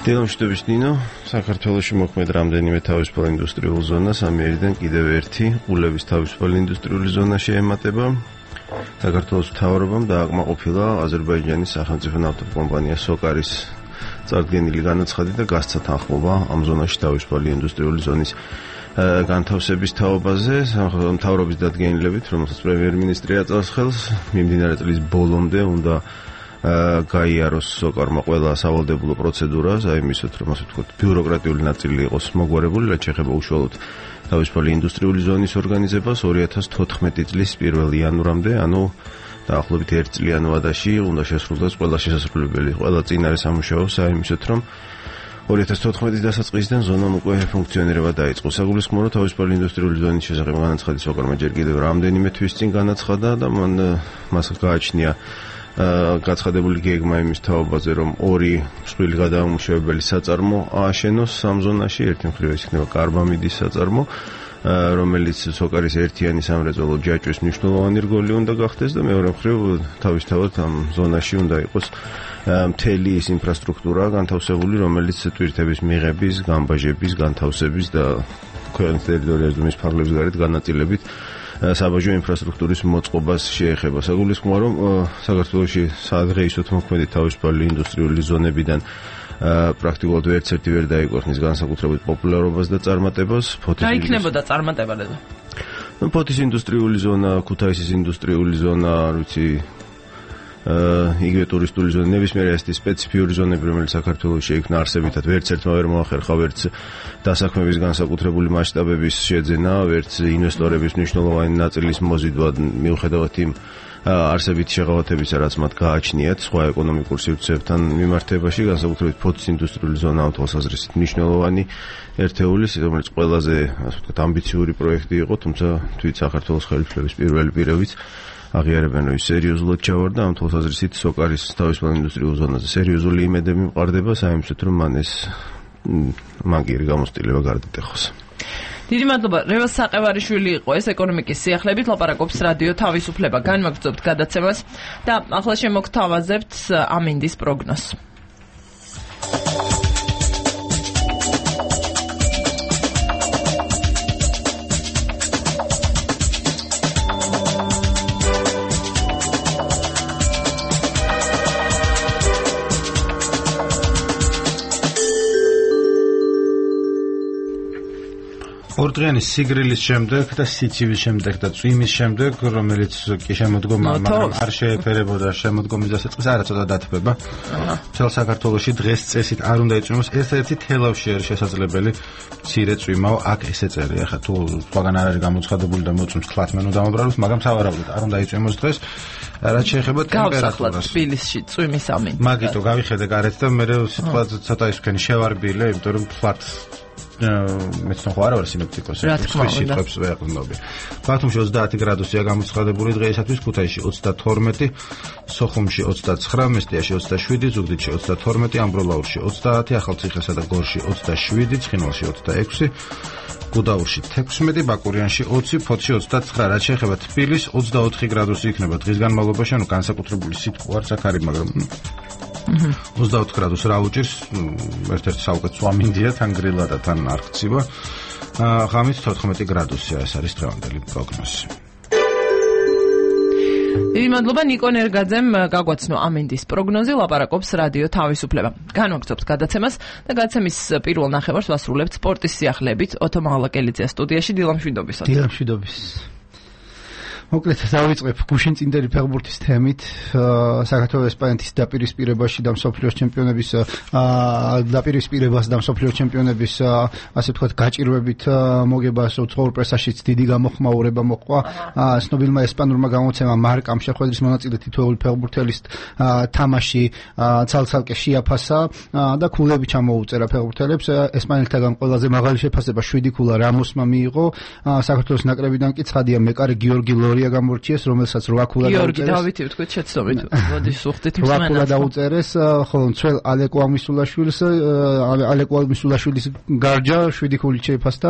დილო მშვიდობით ნინო, საქართველოში მოქმედ რამდენიმე თავისუფალ ინდუსტრიულ ზონას ამიერიდან კიდევ ერთი ყულების თავისუფალი ინდუსტრიული ზონა შეემატება. საქართველოს მთავრობამ დააკმაყოფილა აზერბაიჯანის სახელმწიფო ნავთობკომპანია სოკარის წარდგენილი განაცხადი და გასცა თანხმობა ამ ზონაში თავისუფალი ინდუსტრიული ზონის განთავსების თაობაზე. მთავრობის დადგენილებით, რომელსაც პრემიერ-მინისტრი აწევს ხელს, მიმდინარე წლის ბოლომდე უნდა გაიაროს სოკარმა ყველა სავალდებულო პროცედურა, აიმისოთ, რომ ასე ვთქვათ, ბიუროკრატიული ნაწილი იყოს მოგვარებული, რაც შეეხება უშუალოდ თავისუფალი ინდუსტრიული ზონის ორგანიზებას 2014 წლის 1 იანვრამდე, ანუ დაახლოებით 1 წლიან ვადაში უნდა შესრულდეს ყველა შესაძლებელი, ყველა წინარე სამუშაო, აიმისოთ, რომ 2014 დასაწყისიდან ზონამ უკვე ფუნქციონირება დაიწყო. საგულისხმოა, რომ თავისუფალი ინდუსტრიული ზონის შესახებ განაცხადი სოკარმა ჯერ კიდევ რამდენიმე თვის წინ განაცხადა და მას გააჩნია გაცხადებული გეგმა იმის თაობაზე, რომ ორი მსხვილი გადამამუშავებელი საწარმო ააშენოს ამ ზონაში. ერთი მხრივ ეს იქნება კარბამიდის საწარმო, რომელიც სოკარის ერთიანი სამრეწველო ჯაჭვის მნიშვნელოვანი რგოლი უნდა გახდეს და მეორე მხრივ თავისთავად ამ ზონაში უნდა იყოს მთელი ის ინფრასტრუქტურა განთავსებული, რომელიც ტვირთების მიღების, გამბაჟების, განთავსების და ქვეყნის ტერიტორიაზე მის ფარგლებს გარეთ განაწილებით საბაჟო ინფრასტრუქტურის მოწყობას შეეხება. საგულისხმოა, რომ საქართველოში სადღეისოდ მოქმედი თავისუფალი ინდუსტრიული ზონებიდან პრაქტიკულად ერთ-ერთი ვერ დაიკორნის განსაკუთრებით პოპულარობას და წარმატებას. რა იქნებოდა წარმატებაზე? ფოთის ინდუსტრიული ზონა, ქუთაისის ინდუსტრიული ზონა, არ ვიცი, იგივე ტურისტული ზონა, ნებისმიერი ასეთი სპეციფიური ზონები, რომელიც საქართველოში შეიქმნა არსებითად, ვერც ერთმა ვერ მოახერხა, ვერც დასაქმების განსაკუთრებული მასშტაბების შეძენა, ვერც ინვესტორების მნიშვნელოვანი ნაწილის მოზიდვა, მიუხედავად იმ არსებითი შეღავათებისა, რაც მათ გააჩნიათ სხვა ეკონომიკურ სივრცეებთან მიმართებაში, განსაკუთრებით ფოთის ინდუსტრიული ზონა ამ თვალსაზრისით მნიშვნელოვანი ერთეული, რომელიც ყველაზე, ასე ვთქვათ, ამბიციური პროექტი იყო, თუმცა თვით საქართველოს ხელისუფლების პირველი პირებიც აღიარებენ, რომ ის სერიოზულად ჩავარდა ამ თვალსაზრისით სოკარის თავისუფალ ინდუსტრიულ ზონაზე. სერიოზული იმედები მყარდება, საიმისოთ, რომ მან კი გამოცდილება გარდატეხოს. დიდი მადლობა. რევას საყევარიშვილი იყო ეს ეკონომიკის სიახლეებით, ლაპარაკობს რადიო თავისუფლება. განვაგრძობთ გადაცემას და ახლა შემოგთავაზებთ ამინდის პროგნოზს. ორდღიანი სიგრილის შემდეგ და სიცივის შემდეგ და წვიმის შემდეგ, რომელიც კი შემოდგომა, მაგრამ არ შეეფერებოდა შემოდგომის დასაწყისს, არა ცოტა დათბება. მთელ საქართველოში დღეს წესით არ უნდა იწვიმოს, ერთ-ერთი თელავში არის შესაძლებელი მცირე წვიმაო, აქ ესე წერია. ხა თუ სხვაგან არ არის გამოცხადებული და მოწვიმს თლათმენ უნდა მომბრალოს, მაგრამ სავარაუდოდ არ უნდა იწვიმოს დღეს. რაც შეეხება ტემპერატურას. თბილისში წვიმის ამინდი. მაგიტო გავიხედე გარეთ და მე სიტყვა ცოტა ის თქვენი შევარბილე, იმიტომ რომ თლათ მეც ნახო არა ვარ სინოპტიკოსი, სიტყვებს ვეყნობი. ბათუმში 30 გრადუსია გამოცხადებული დღეისათვის, ქუთაისში 32, სოხუმში 29, მესტიაში 27, ზუგდიდში 32, ამბროლაურში 30, ახალციხესა და გორში 27, ცხინვალში 26, გუდაურში 16, ბაკურიანში 20, ფოთში 29, რაც შეეხება თბილისს 24 გრადუსი იქნება დღის განმავლობაში, ანუ განსაკუთრებული სიტყვა არც აქ არის, მაგრამ 24 გრადუსს რა უჭირს, ერთ-ერთი საუკეთესო ამინდია, თან გრილა და თან არ ხცივა. ღამით 14 გრადუსია, ეს არის დღევანდელი პროგნოზი. დიდი მადლობა ნიკო ნერგაძემ გაგვაცნო ამინდის პროგნოზი, ლაპარაკობს რადიო თავისუფლება. განვაგრძობთ გადაცემას და გადაცემის პირველ ნახევარს ვასრულებთ სპორტის სიახლეებით. ოთო მაღლაკელიძე სტუდიაში, დილამშვიდობისა. დილამშვიდობის. მოკლედ დავიწყებ გუშინწინდელი ფეხბურთის თემით. საქართველოს ესპანეთის დაპირისპირებაში და მსოფლიოს ჩემპიონების დაპირისპირებას და მსოფლიოს ჩემპიონების ასე ვთქვათ გაჭირვებით მოგებას უცხოურ პრესაშიც დიდი გამოხმაურება მოყვა. ცნობილმა ესპანურმა გამოცემამ მარკამ შეხვედრის მონაწილე თითოეული ფეხბურთელის თამაში ცალ-ცალკე შეაფასა და ქულები ჩამოუწერა ფეხბურთელებს. ესპანელთაგან ყველაზე მაღალი შეფასება 7 ქულა რამოსმა მიიღო. საქართველოს ნაკრებიდან კი ცხადია მეკარე გიორგი ლორია გამორჩიეს, რომელსაც 8 ქულა დაუწერეს. გიორგი დავითი ვთქვით შეცდომით. მოდი სუხდით მსმენელს. 8 ქულა დაუწერეს, ხოლო მცველ ალეკო ამისულაშვილის გარჯა 7 ქულით შეიფასდა.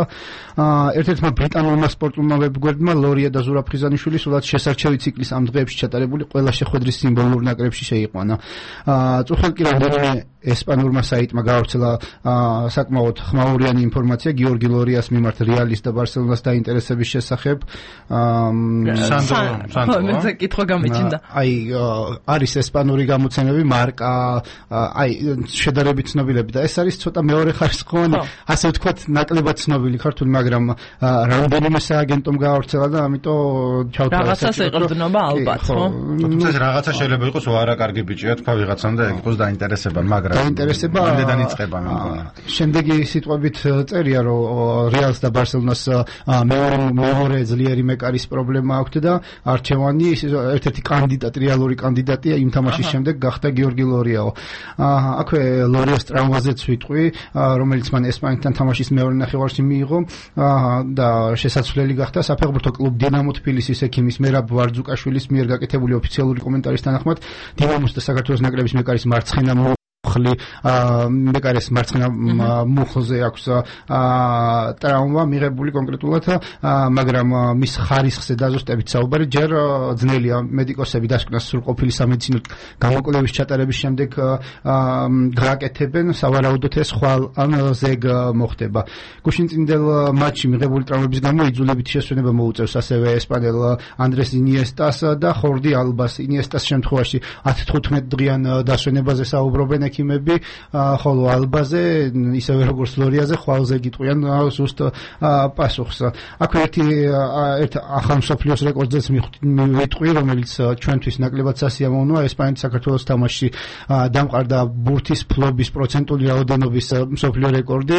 ერთ-ერთმა ბრიტანულმა სპორტულმა ვებგვერდმა ლორია და ზურაბ-ხიზანიშვილი სულაც შესარჩევი ციკლის ამ დღეებში ჩატარებული ყველა შეხვედრის სიმბოლურ ნაკრებში შეიყვანა. წუხელ კი რამდენიმე ესპანურმა საიტმა გაავრცელა საკმაოდ ხმაურიანი ინფორმაცია გიორგი ლორიას მიმართ რეალის და ბარსელონას დაინტერესების შესახებ. სანდრო მე კითხვა გამიჩნდა. აი არის ესპანური გამოცემები მარკა, აი შედარებით ცნობილები და ეს არის ცოტა მეორე ხარისხოვანი, ასე ვთქვათ, ნაკლებად ცნობილი ქართული, მაგრამ რამდენიმე სააგენტომ გაავრცელა და ამიტომ ჩავთვალე. რაღაცას ეყრდნობა ალბათ, ხო? თუმცა რაღაცა შეიძლება იყოს არა კარგი ბიჭია თქვა ვიღაცამ და ეგ იყოს დაინტერესება, მაგრამ დაინტერესება ამდენად იწყება მეგონა. შემდეგი სიტყვებით წერია, რომ რეალს და ბარსელონას მეორე ძლიერი მეკარის პრობლემა აქვს და არჩევანი ერთ-ერთი კანდიდატი, რეალური კანდიდატია იმ თამაშის შემდეგ გახდა გიორგი ლორიაო. აქვე ლორიას ტრამვაზეც ვიტყვი, რომელიც მან ესპანეთთან თამაშის მეორე ნახევარში მიიღო და შესაძლებელი გახდა საფეხბურთო კლუბ დინამო თბილისის ექიმის მერაბ ვარძუკაშვილის მიერ გაკეთებული ოფიციალური კომენტარის თანახმად, დინამოს და საქართველოს ნაკრების მეკარის მარცხენა მეკარის მარცხენა მუხლზე აქვს ტრავმა მიღებული კონკრეტულად, მაგრამ მის ხარისხზე დაზუსტებით საუბარი ჯერ ძნელია. მედიკოსები დასკვნას სრულყოფილი სამედიცინო გამოკვლევის ჩატარების შემდეგ გააკეთებენ, სავარაუდოდ ეს ხვალ ან ზეგ მოხდება. გუშინწინდელ მატჩში მიღებული ტრავმების გამო იძულებითი შესვენება მოუწევს ასევე ესპანელ ანდრეს ინიესტას და ხორდი ალბას. ინიესტას შემთხვევაში 10-15 დღიან დასვენებაზე საუბრობენ ექიმები, ხოლო ალბაზე ისევე როგორც ლორიაზე ხვალზე გიტყვიან ზუსტ პასუხს. აქ ერთ ახალ მსოფლიოს რეკორდზეც მივიტყვი, რომელიც ჩვენთვის ნაკლებად სასიამოვნოა. ესპანეთის საქართველოს თამაშში დამყარდა ბურთის ფლობის პროცენტული რაოდენობის მსოფლიო რეკორდი.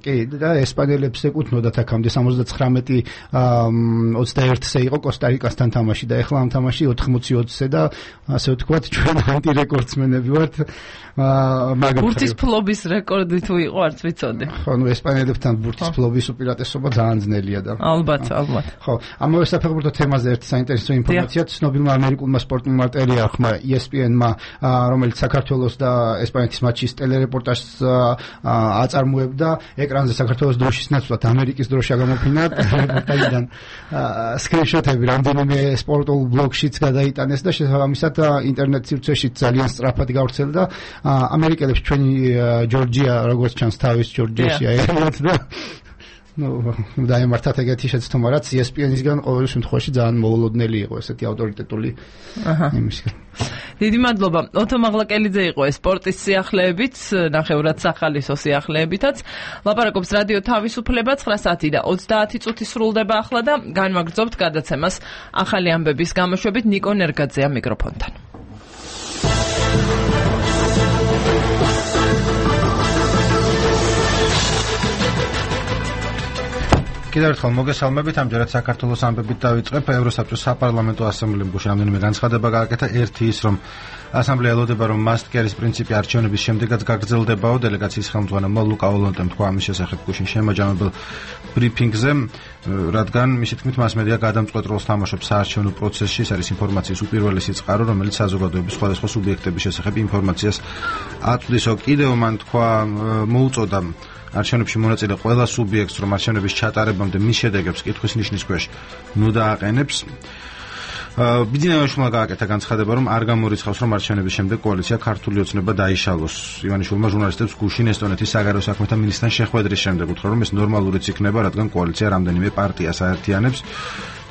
კი, და ესპანელებს ეკუთვნოდათ აქამდე 79-21-ზე იყო კოსტა-რიკასთან თამაში და ეხლა ამ თამაში 80-20-ზე და ასე ვთქვათ, ჩვენ ანტირეკორდსმენები ვართ. ბურთის ფლობის რეკორდი თუ იყო არც ვიცოდი. ხო, ნუ ესპანელებთან ბურთის ფლობის უპირატესობა ძალიან ძნელია და ალბათ. ხო, ამავე საფეხბურთო თემაზე ერთი საინტერესო ინფორმაცია ცნობილმა ამერიკულმა სპორტულმა ტელეარხმა ESPN-მა, რომელიც საქართველოს და ესპანეთის მატჩის ტელერეპორტაჟს აწარმოებდა, ეკრანზე საქართველოს დროშის ნაცვლად ამერიკის დროშა გამოფინა რეპორტაჟიდან სკრინშოტები რამდენიმე სპორტულ ბლოგშიც გადაიტანეს და შესაბამისად ინტერნეტ სივრცეში ძალიან სწრაფად გავრცელდა. ამერიკელებს ჩვენი ჯორჯია როგორც ჩანს თავის ჯორჯიაში აერევათ და დაემართათ ეგეთი შეცდომა, რაც ESPN-ისგან ყოველ შემთხვევაში ძალიან მოულოდნელი იყო ესეთი ავტორიტეტული იმისგან. დიდი მადლობა. ოთო მაღლაკელიძე იყო სპორტის სიახლეებით, ნახევრად სახალისო სიახლეებითაც. ლაპარაკობს რადიო თავისუფლება 9 საათი და 30 წუთი სრულდება ახლა და განვაგრძობთ გადაცემას ახალი ამბების გამოშვებით. ნიკო ნერგაძეა მიკროფონთან. კიდევ ერთხელ მოგესალმებით, ამჯერად საქართველოს ამბებით დავიწყებ. ევროსაბჭოს საპარლამენტო ასამბლეამ რამდენიმე განცხადება გააკეთა. ერთი ის, რომ ასამბლეა ელოდება, რომ მასტკერის პრინციპი არჩევნების შემდეგაც გაგრძელდებაო. დელეგაციის ხელმძღვანელმა ლუკა ოლონტემ თქვა ამის შესახებ გუშინ შემაჯამებელ ბრიფინგზე, რადგან მისი თქმით მასმედია გადამწყვეტ როლს თამაშობს საარჩევნო პროცესში. ეს არის ინფორმაციის უპირველესი წყარო, რომელიც საზოგადოების სხვადასხვა სუბიექტების შესახებ ინფორმაციას აწვდისო. კიდევ მან თქვა, მოუწოდა არჩევნებში მონაწილე ყველა სუბიექტს, რომ არჩევნების ჩატარებამდე მის შედეგებს კითხვის ნიშნის ქვეშ ნუდააყენებს. ბიძინაიაშვილმა გააკეთა განცხადება, რომ არ გამორიცხავს, რომ არჩევნების შემდეგ კოალიცია ქართული ოცნება დაიშალოს. ივანიშვილმა ჟურნალისტებს გუშინ ესტონეთის საგარეო საქმეთა მინისტრთან შეხვედრის შემდეგ უთხრა, რომ ეს ნორმალურიც იქნება, რადგან კოალიცია რამდენიმე პარტიას აერთიანებს.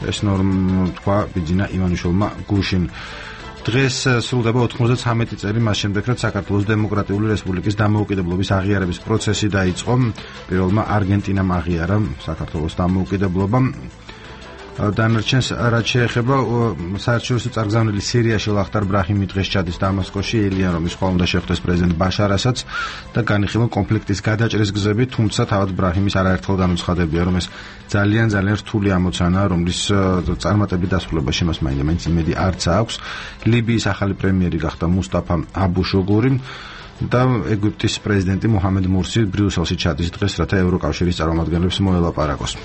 ეს თქვა ბიძინა ივანიშვილმა გუშინ. დღეს სრულდება 93 წელი მას შემდეგ, რაც საქართველოს დემოკრატიული რესპუბლიკის დამოუკიდებლობის აღიარების პროცესი დაიწყო. პირველმა არგენტინამ აღიარა საქართველოს დამოუკიდებლობა. დანარჩენს რაც შეეხება საერთაშორისო წარგზავნილი სირიაში ლახტარ ბრაჰიმი დღეს ჩადის დამასკოში, ელიან რომის ხვალ უნდა შეხვდეს პრეზიდენტ ბაშარ ასადს და განიხილონ კონფლიქტის გადაჭრის გზები, თუმცა თავად ბრაჰიმის არაერთხელ განუცხადებია, რომ ეს ძალიან რთული ამოცანაა, რომლის წარმატებით დასრულებაში მას მაინც იმედი არც აქვს. ლიბიის ახალი პრემიერი გახდა მუსტაფა აბუშოგური და ეგვიპტის პრეზიდენტი მუჰამედ მურსი ბრიუსელში ჩადის დღეს, რათა ევროკავშირის წარმომადგენლებს მოელაპარაკოს.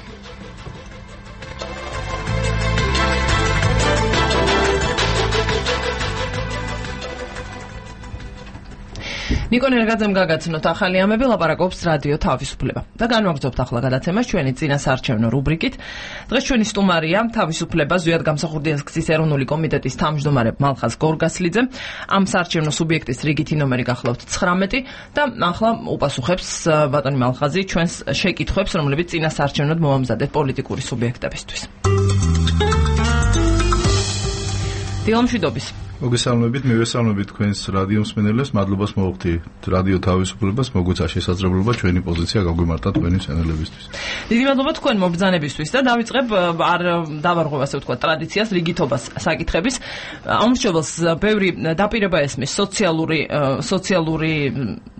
ნიკო ნერგაძემ გაგაცნოთ ახალი ამბები, ლაპარაკობს რადიო თავისუფლება. და განვაგრძობთ ახლა გადაცემას ჩვენი წინა საარჩევნო რუბრიკით. დღეს ჩვენი სტუმარია თავისუფლება ზვიად გამსახურდიას გზის ეროვნული კომიტეტის თავმჯდომარე მალხაზ გორგასლიძე. ამ საარჩევნო სუბიექტის რიგითი ნომერი გახლავთ 19 და ახლა უპასუხებს ბატონი მალხაზი ჩვენს შეკითხვებს, რომლებიც წინა საარჩევნოდ მომამზადეთ პოლიტიკური სუბიექტებისთვის. დილამშვიდობის. მოგესალმებით, მივესალმებით თქვენს რადიო მსმენელებს, მადლობას მოვხდი რადიო თავისუფლებას, მოგვეცა შესაძლებლობა ჩვენი პოზიცია გაგვიმარტოთ თქვენი მსმენელებისთვის. დიდი მადლობა თქვენ მობრძანებისთვის და დავიწყებ არ დავარღვევ ასე ვთქვათ ტრადიციას, რიგითობას საკითხების. ამრჩეველს ბევრი დაპირება ესმის სოციალური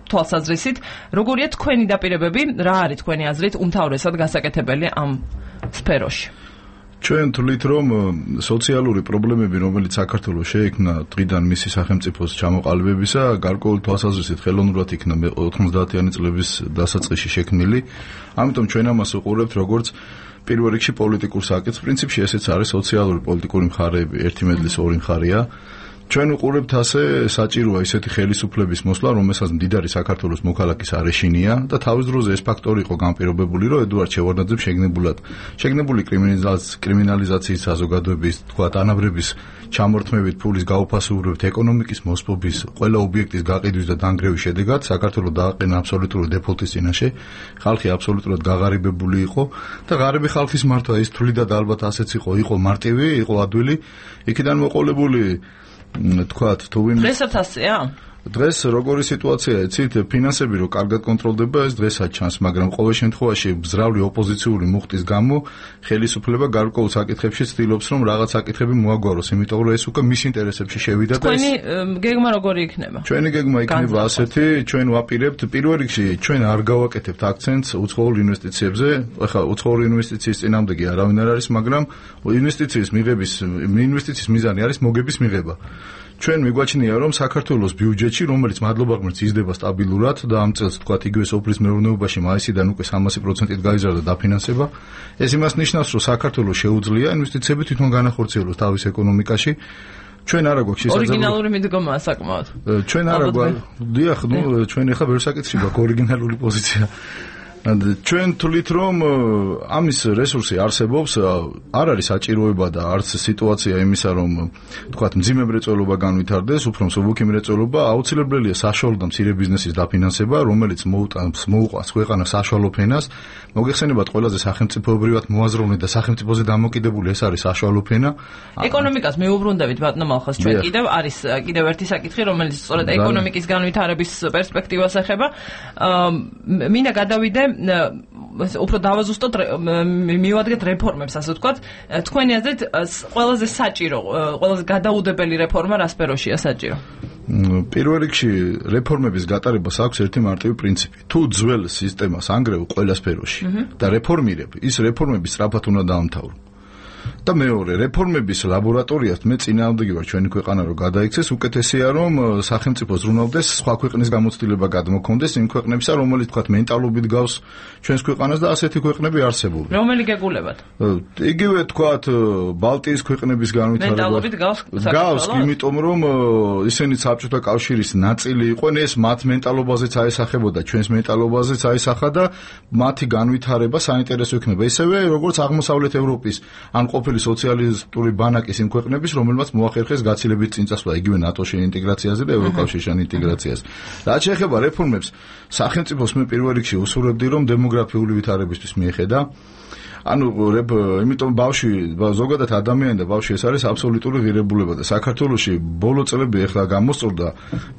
თვალსაზრისით. როგორია თქვენი დაპირებები, რა არის თქვენი აზრით უმთავრესად გასაკეთებელი ამ სფეროში? ჩვენ თვლით, რომ სოციალური პრობლემები, რომელიც საქართველოს შეექმნა დღიდან მისი სახელმწიფოს ჩამოყალიბებისა, გარკვეული თვალსაზრისით ხელოვნურად იქნა 90-იანი წლების დასაწყისში შექმნილი. ამიტომ ჩვენ ამას უყურებთ როგორც პირველ რიგში პოლიტიკურ საკითხს. პრინციპში ესეც არის სოციალური პოლიტიკური მხარეები, ერთი მედლის ორი მხარეა. ჩვენ უყურებთ ასე საჭიროა ისეთი ხელისუფლების მოსვლა, რომელსაც მდიდარი საქართველოს მოქალაქის არ ეშინია და თავის დროზე ეს ფაქტორი იყო განპირობებული, რომ ედუარდ შევარდნაძემ შეგნებული კრიმინალიზაციის საზოგადოების, თქვა ანაბრების ჩამორთმევით, ფულის გაუფასურებით, ეკონომიკის მოსპობის, ყველა ობიექტის გაყიდვის და დანგრევის შედეგად საქართველოს დააყენა აბსოლუტური დეფოლტის წინაშე. ხალხი აბსოლუტურად გაღარიბებული იყო და ღარიბი ხალხის მართვა ის თვლიდა და ალბათ ასეც იყო მარტივი, იყო ადვილი. იქიდან მოყოლებული თქვათ თუ ვინ დღესაც ასეა? დღეს როგორი სიტუაციაა, იცით, ფინანსები რო კარგად კონტროლდება, ეს დღესაც ჩანს, მაგრამ ყოველ შემთხვევაში ბზრავლი ოპოზიციური მუხტის გამო ხელისუფლება გარკვეულ საკითხებში ცდილობს, რომ რაღაც საკითხები მოაგვაროს, იმიტომ რომ ეს უკვე მის ინტერესებში შევიდა და თქვენი გეგმა როგორი იქნება? ჩვენი გეგმა იქნება ასეთი, ჩვენ ვაპირებთ პირველ რიგში, ჩვენ არ გავაკეთებთ აქცენტს უცხოურ ინვესტიციებზე. ახლა უცხოური ინვესტიციის წინამდეგი არავინ არ არის, მაგრამ ინვესტიციის მიზანი არის მოგების მიღება. ჩვენ მიგვაჩნია, რომ საქართველოს ბიუჯეტში, რომელიც მადლობა ღმერთს იზრდება სტაბილურად და ამ წელს თქვათ იგივე სოფლის მეურნეობაში მაისიდან უკვე 300%-ით გაიზარდა დაფინანსება, ეს იმას ნიშნავს, რომ საქართველოს შეუძლია ინვესტიციები თვითონ განახორციელოს თავის ეკონომიკაში. ჩვენ არა გვაქვს შესაძლებლობა. ორიგინალური მიდგომაა საკმაოდ. ჩვენ არა გვაქვს. დიახ, ჩვენ ახლა ბევრ საკითხში გვაქვს ორიგინალური პოზიცია. ჩვენ თვლით რომ ამის რესურსი არსებობს, არ არის საჭიროება და არც სიტუაცია იმისა რომ თქვათ მძიმე მრეწველობა განვითარდეს, უფრო მსუბუქი მრეწველობა, აუცილებელია საშუალო და მცირე ბიზნესის დაფინანსება, რომელიც მოუყვანს ქვეყანას საშუალო ფენას. მოგეხსენებათ ყველაზე სახელმწიფოებრივად მოაზროვნე და სახელმწიფოზე დამოკიდებული ეს არის საშუალო ფენა. ეკონომიკას მიუბრუნდებით ბატონო მალხას ჩვენ კიდევ ერთი საკითხი რომელიც სწორედ ეკონომიკის განვითარების პერსპექტივას ეხება. მინდა გადავიდე უფრო დავაზუსტოთ მივადგეთ რეფორმებს ასე ვთქვათ. თქვენი აზრით ყველაზე საჭირო, ყველაზე გადაუდებელი რეფორმა რა სფეროშია საჭირო? პირველ რიგში რეფორმების გატარებას აქვს ერთი მარტივი პრინციპი. თუ ძველ სისტემას ანგრევ ყველა სფეროში და რეფორმირებ, ის რეფორმები სწრაფად უნდა დაამთავრო. და მეორე, რეფორმების ლაბორატორიას მე წინააღმდეგი ვარ ჩვენი ქვეყანა რომ გადაიქცეს, უკეთესია რომ სახელმწიფო ზრუნავდეს სხვა ქვეყნის გამოცდილება გადმოქონდეს იმ ქვეყნებსა, რომელიც თქვათ მენტალობით გავს ჩვენს ქვეყანას და ასეთი ქვეყნები არსებობენ. რომელი გეგულებათ? იგივე თქვათ ბალტიის ქვეყნების განვითარება. მენტალობით გავს, იმიტომ რომ ისინი საბჭოთა კავშირის ნაწილი იყვნენ, ეს მათ მენტალობაზეც აესახებოდა, ჩვენს მენტალობაზეც აესახა და მათი განვითარება საინტერესო იქნება. ისევე როგორც აღმოსავლეთ ევროპის ან ყოფილი სოციალისტური ბანაკის იმ ქვეყნების, რომელმაც მოახერხეს გაცილებით წინ წასვლა იგივე ნატოში ინტეგრაციაზე და ევროკავშირთან ინტეგრაციაზე. რაც შეეხება რეფორმებს, სახელმწიფოს მე პირველ რიგში უსურვებდი, რომ დემოგრაფიული ვითარებისთვის მიეხედა. ანუ იმიტომ ზოგადად ადამიანი და ბავშვი ეს არის აბსოლუტური ღირებულება და საქართველოში ბოლო წლები ახლა გამოსწორდა,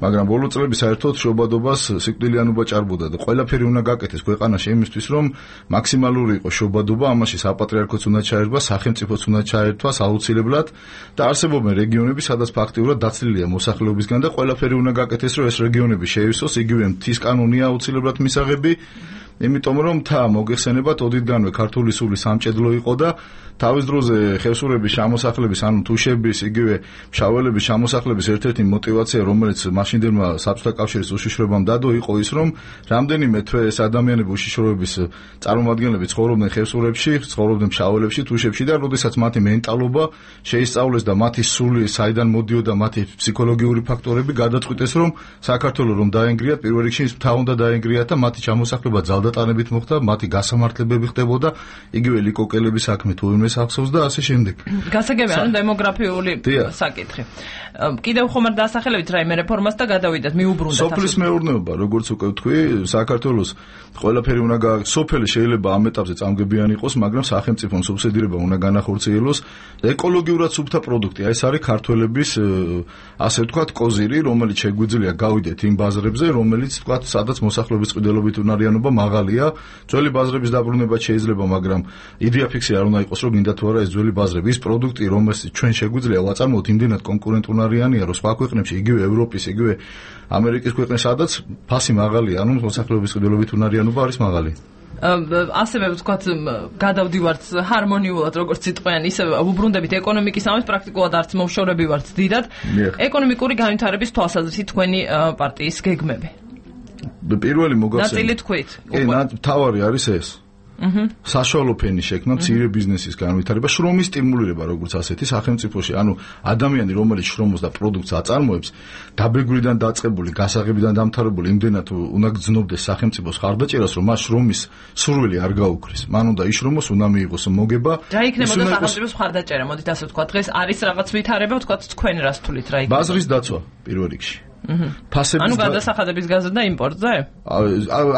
მაგრამ ბოლო წლები საერთოდ შობადობას სიკვდილიანობა ჭარბობდა და ყველაფერი უნდა გაკეთდეს ქვეყანაში იმისთვის, რომ მაქსიმალური იყოს შობადობა, ამაში საპატრიარქოც უნდა ჩაერგვა, სახელმწიფოც უნდა ჩაერთვას აუცილებლად და არსებობენ რეგიონები, სადაც ფაქტიურად დაცლილია მოსახლეობისგან და ყველაფერი უნდა გაკეთდეს, რომ ეს რეგიონები შეივსოს, იგივე მთის კანონია აუცილებლად მისაღები. იმიტომ რომ მოგეხსენებათ ოდითგანვე ქართული სული სამჭედლო იყო და თავის დროზე ხევსურების შემოსახლების, ანუ თუშების, იგივე მშაველების შემოსახლების ერთ-ერთი мотиваცია, რომელიც მაშინდელმა საბჭოთა კავშირის უშიშროებამ დადო, იყო ის, რომ რამდენიმე თვე ეს ადამიანები უშიშროების წარმომადგენლები ცხოვრობდნენ ხევსურებში, ცხოვრობდნენ მშაველებში, თუშებში და როდესაც მათი მენტალობა შეისწავლეს და მათი სული საიდან მოდიოდა, მათი ფსიქოლოგიური ფაქტორები გადაწყვიტეს, რომ საქართველოს რომ დაენგრიათ, პირველ რიგში მთა უნდა დაენგრიათ და მათი ჩამოსახლება ძალდატანებით მოხდა, მათი გასამართლებები ხდებოდა, იგივე ლიკოკელების საქმე თუ იმეს ახსოვს და ასე შემდეგ. გასაგებია, ანუ დემოგრაფიული საკითხი. კიდევ ხომ არ დაასახელებით რაიმე რეფორმას და გადავიდეთ, მიუბრუნდეთ. სოფლის მეურნეობა, როგორც უკვე ვთქვი, საქართველოს ყველაფერი უნდა სოფელი შეიძლება ამ ეტაპზე წამგებიანი იყოს, მაგრამ სახელმწიფომ სუბსიდირება უნდა განახორციელოს ეკოლოგიურად სუფთა პროდუქტი. ეს არის ქართველების ასე ვთქვათ კოზირი, რომელიც შეგვიძლია გავიდეთ იმ ბაზრებზე, რომელიც ვთქვათ, სადაც მოსახლეობის წყვილობით უნარიანობა მაღალია. ძველი ბაზრების დაბრუნება შეიძლება, მაგრამ იდეა ფიქსი არ უნდა იყოს, რომ გინდა თუ არა ეს ძველი ბაზრები, ის პროდუქტი, რომელსაც ჩვენ შეგვიძლია ვაწარმოოთ, იმდენად კონკურენტუნარიანია, რომ სხვა ქვეყნებში, იგივე ევროპის, იგივე ამერიკის ქვეყნებში, სადაც ფასი მაღალია, ანუ მოსახლეობის წყვილობით უნარიანობა არის მაღალი. ასევე ვთქვათ, გადავდივართ ჰარმონიულად, როგორც სიტყვიან, ისე უბრუნდებით ეკონომიკის ამას პრაქტიკულად არც მომშორები ვართ დიდად. ეკონომიკური განვითარების თვალსაზრისით თქვენი პარტიის გეგმები. პირველი მოგახსენე. ნაწილი თქვით. კი, თავარი არის ეს. საშუალო ფენის შექმნა, მცირე ბიზნესის განვითარება, შრომის სტიმულირება, როგორც ასეთი სახელმწიფოში, ანუ ადამიანი, რომელიც შრომობს და პროდუქტს აწარმოებს, დაბეგვრიდან დაწყებული, გასაღებიდან დამთავრებული, იმდენად უნდა გძნობდეს სახელმწიფოს ხარდაჭერას, რომ მას შრომის სურვილი არ გაუქრის. მან უნდა იშრომოს, უნდა მიიღოს მოგება. რა იქნებოდა სახელმწიფოს ხარდაჭერა, მოდით ასე ვთქვათ, დღეს არის რაღაც ვითარება, ვთქვათ, თქვენ რას თulit რა იქნება? ბაზრის დაცვა პირველ რიგში. ანუ გადასახადების გაზრდა და იმპორტზე?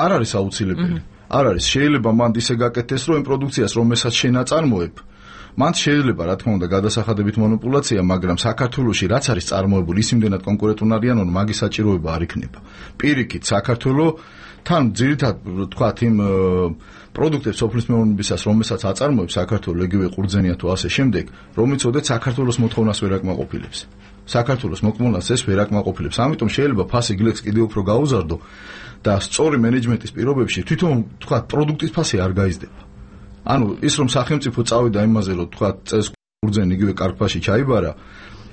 არ არის აუცილებელი. არ არის, შეიძლება მანდ ისე გაკეთდეს, რომ იმ პროდუქციას, რომელსაც შენ აწარმოებ, მანდ შეიძლება, რა თქმა უნდა, გადასახადებით მონოპულაცია, მაგრამ საქართველოში რაც არის წარმოებული, ის იმდენად კონკურენტუნარიანო, რომ მაგის საჭიროება არ იქნება. პირიქით, საქართველოს თან ძირითადად თქვათ იმ პროდუქტებს სოფლის მეურნეობისას, რომელსაც აწარმოებს საქართველოს, იგივე ყურძენია თუ ასე შემდეგ, რომ იცოდეთ საქართველოს მოთხოვნას ვერ აკმაყოფილებს. საქართველოს მოქმედებას ეს ვერ აკმაყოფილებს. ამიტომ შეიძლება ფასი გლექს კიდევ უფრო გაუზარდო და სწორი მენეჯმენტის პირობებში თვითონ თქვათ პროდუქტის ფასი არ გაიზრდება. ანუ ის რომ სახელმწიფო წავიდა იმაზე, რომ თქვათ წეს ყურძენი იგივე კარგფაში ჩაიბარა,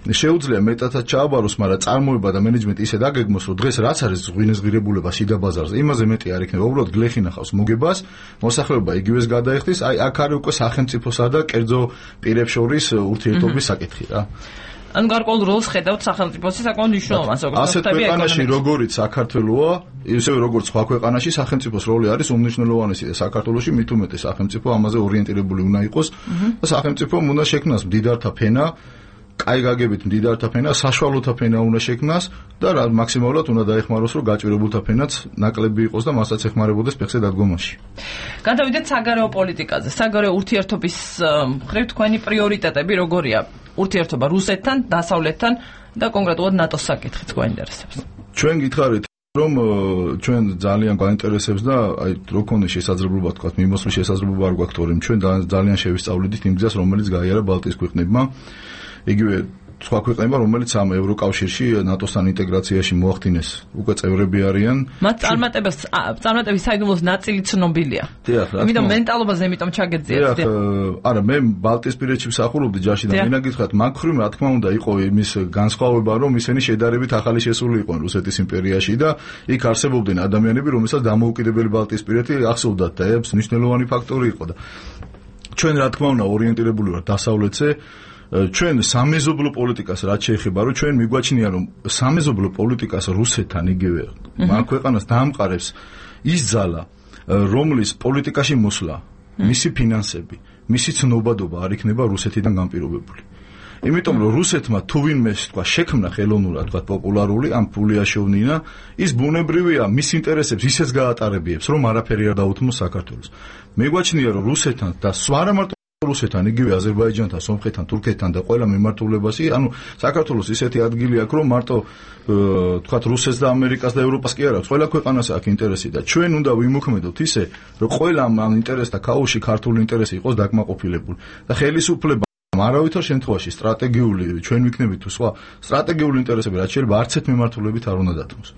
შეუძლია მეტადაც ჩააბაროს, მაგრამ წარმოება და მენეჯმენტი ისე დაგეგმოს, რომ დღეს რაც არის ღვინეს ღირებულება შიდა ბაზარზე, იმაზე მეტი არ იქნება. უბრალოდ გლეხი ნახავს მოგებას, მოსახლეობა იგივეს გადაიხდის, აი აქ არის უკვე სახელმწიფოსა და კერძო პირებს შორის ურთიერთობის საკითხი რა. ანუ გარკვეულ როლს ხედავთ სახელმწიფოსი საკმაოდ მნიშვნელოვანს, როგორც ასეთ ქვეყანაში როგორიც საქართველოა, ისევე როგორც სხვა ქვეყანაში სახელმწიფოს როლი არის უმნიშვნელოვანესი და საქართველოში მით უმეტეს სახელმწიფო ამაზე ორიენტირებული უნდა იყოს და სახელმწიფომ უნდა შექმნას მდიდართა ფენა, კაი გაგებით მდიდართა ფენა, საშუალოთა ფენა უნდა შექმნას და მაქსიმალურად უნდა დაეხმაროს, რომ გაჭირებულთა ფენაც ნაკლები იყოს და მასაც ეხმარებოდეს ფეხზე დადგომაში. გადავიდეთ საგარეო პოლიტიკაზე. საგარეო ურთიერთობის მხრივ თქვენი პრიორიტეტები როგორია? ურთიერთობა რუსეთთან, დასავლეთთან და კონკრეტულად ნატოს საკითხიც გვაინტერესებს. ჩვენ გითხარით რომ ჩვენ ძალიან გვაინტერესებს და აი რო ქონდეს შესაძლებლობა თქვა მიმოსვლის შესაძლებლობა არ გვაქვს, თორემ ჩვენ ძალიან შევისწავლიდით იმ გზას, რომელიც გაიარა ბალტიის ქვეყნებმა. იგივე სხვა ქვეყნებმა, რომელიც ამ ევროკავშირში ნატოსთან ინტეგრაციაში მოახდინეს, უკვე წევრები არიან. მათ წარმატების საიდუმლოს ნაწილი ცნობილია. იმიტომ მენტალობაზე იმიტომ ჩაგეძიათ. არა, მე ბალტიისპირეთში მსახურობდი ჯარში და მინდა გითხრათ, მაგ ხრივ რა თქმა უნდა იყო იმის განსხვავება, რომ ისინი შედარებით ახალი შესული იყვნენ რუსეთის იმპერიაში და იქ არსებობდნენ ადამიანები, რომელსაც დამოუკიდებელი ბალტიისპირეთი ახსოვდათ და ეს მნიშვნელოვანი ფაქტორი იყო და ჩვენ რა თქმა უნდა ორიენტირებული ვართ დასავლეთზე. ჩვენ სამეზობლო პოლიტიკას რაც შეეხება, რომ ჩვენ მიგვაჩნია, რომ სამეზობლო პოლიტიკას რუსეთთან იგივე მაგ ქვეყანას დაამყარებს ის ძალა, რომლის პოლიტიკაში მოსვლა, მისი ფინანსები, მისი ცნობადობა არ იქნება რუსეთიდან განპირობებული. იმიტომ რომ რუსეთმა თუ ვინმე თქვა შექმნა ხელოვნურად თქვა პოპულარული ამ ფული აშოვნინა, ის ბუნებრივია მის ინტერესებს ისეც გაატარებიებს, რომ არაფერი არ დაუთმოს საქართველოს. მეგვაჩნია, რომ რუსეთთან და არა მარტო რუსეთთან, იგივე აზერბაიჯანთან, სომხეთთან, თურქეთთან და ყველა მიმართულებაში, ანუ საქართველოს ისეთი ადგილი აქვს, რომ მარტო თქვათ რუსეთს და ამერიკას და ევროპას კი არ აქვს, ყველა ქვეყანას აქვს ინტერესი და ჩვენ უნდა ვიმოქმედოთ ისე, რომ ყველა ამ ინტერესთა ქაოსში ქართული ინტერესი იყოს დაკმაყოფილებული და ხელისუფლება არავითარ შემთხვევაში სტრატეგიული ჩვენ ვიქნებით თუ სხვა სტრატეგიული ინტერესები რაც შეიძლება არც ერთ მიმართულებით არ უნდა დათმოს.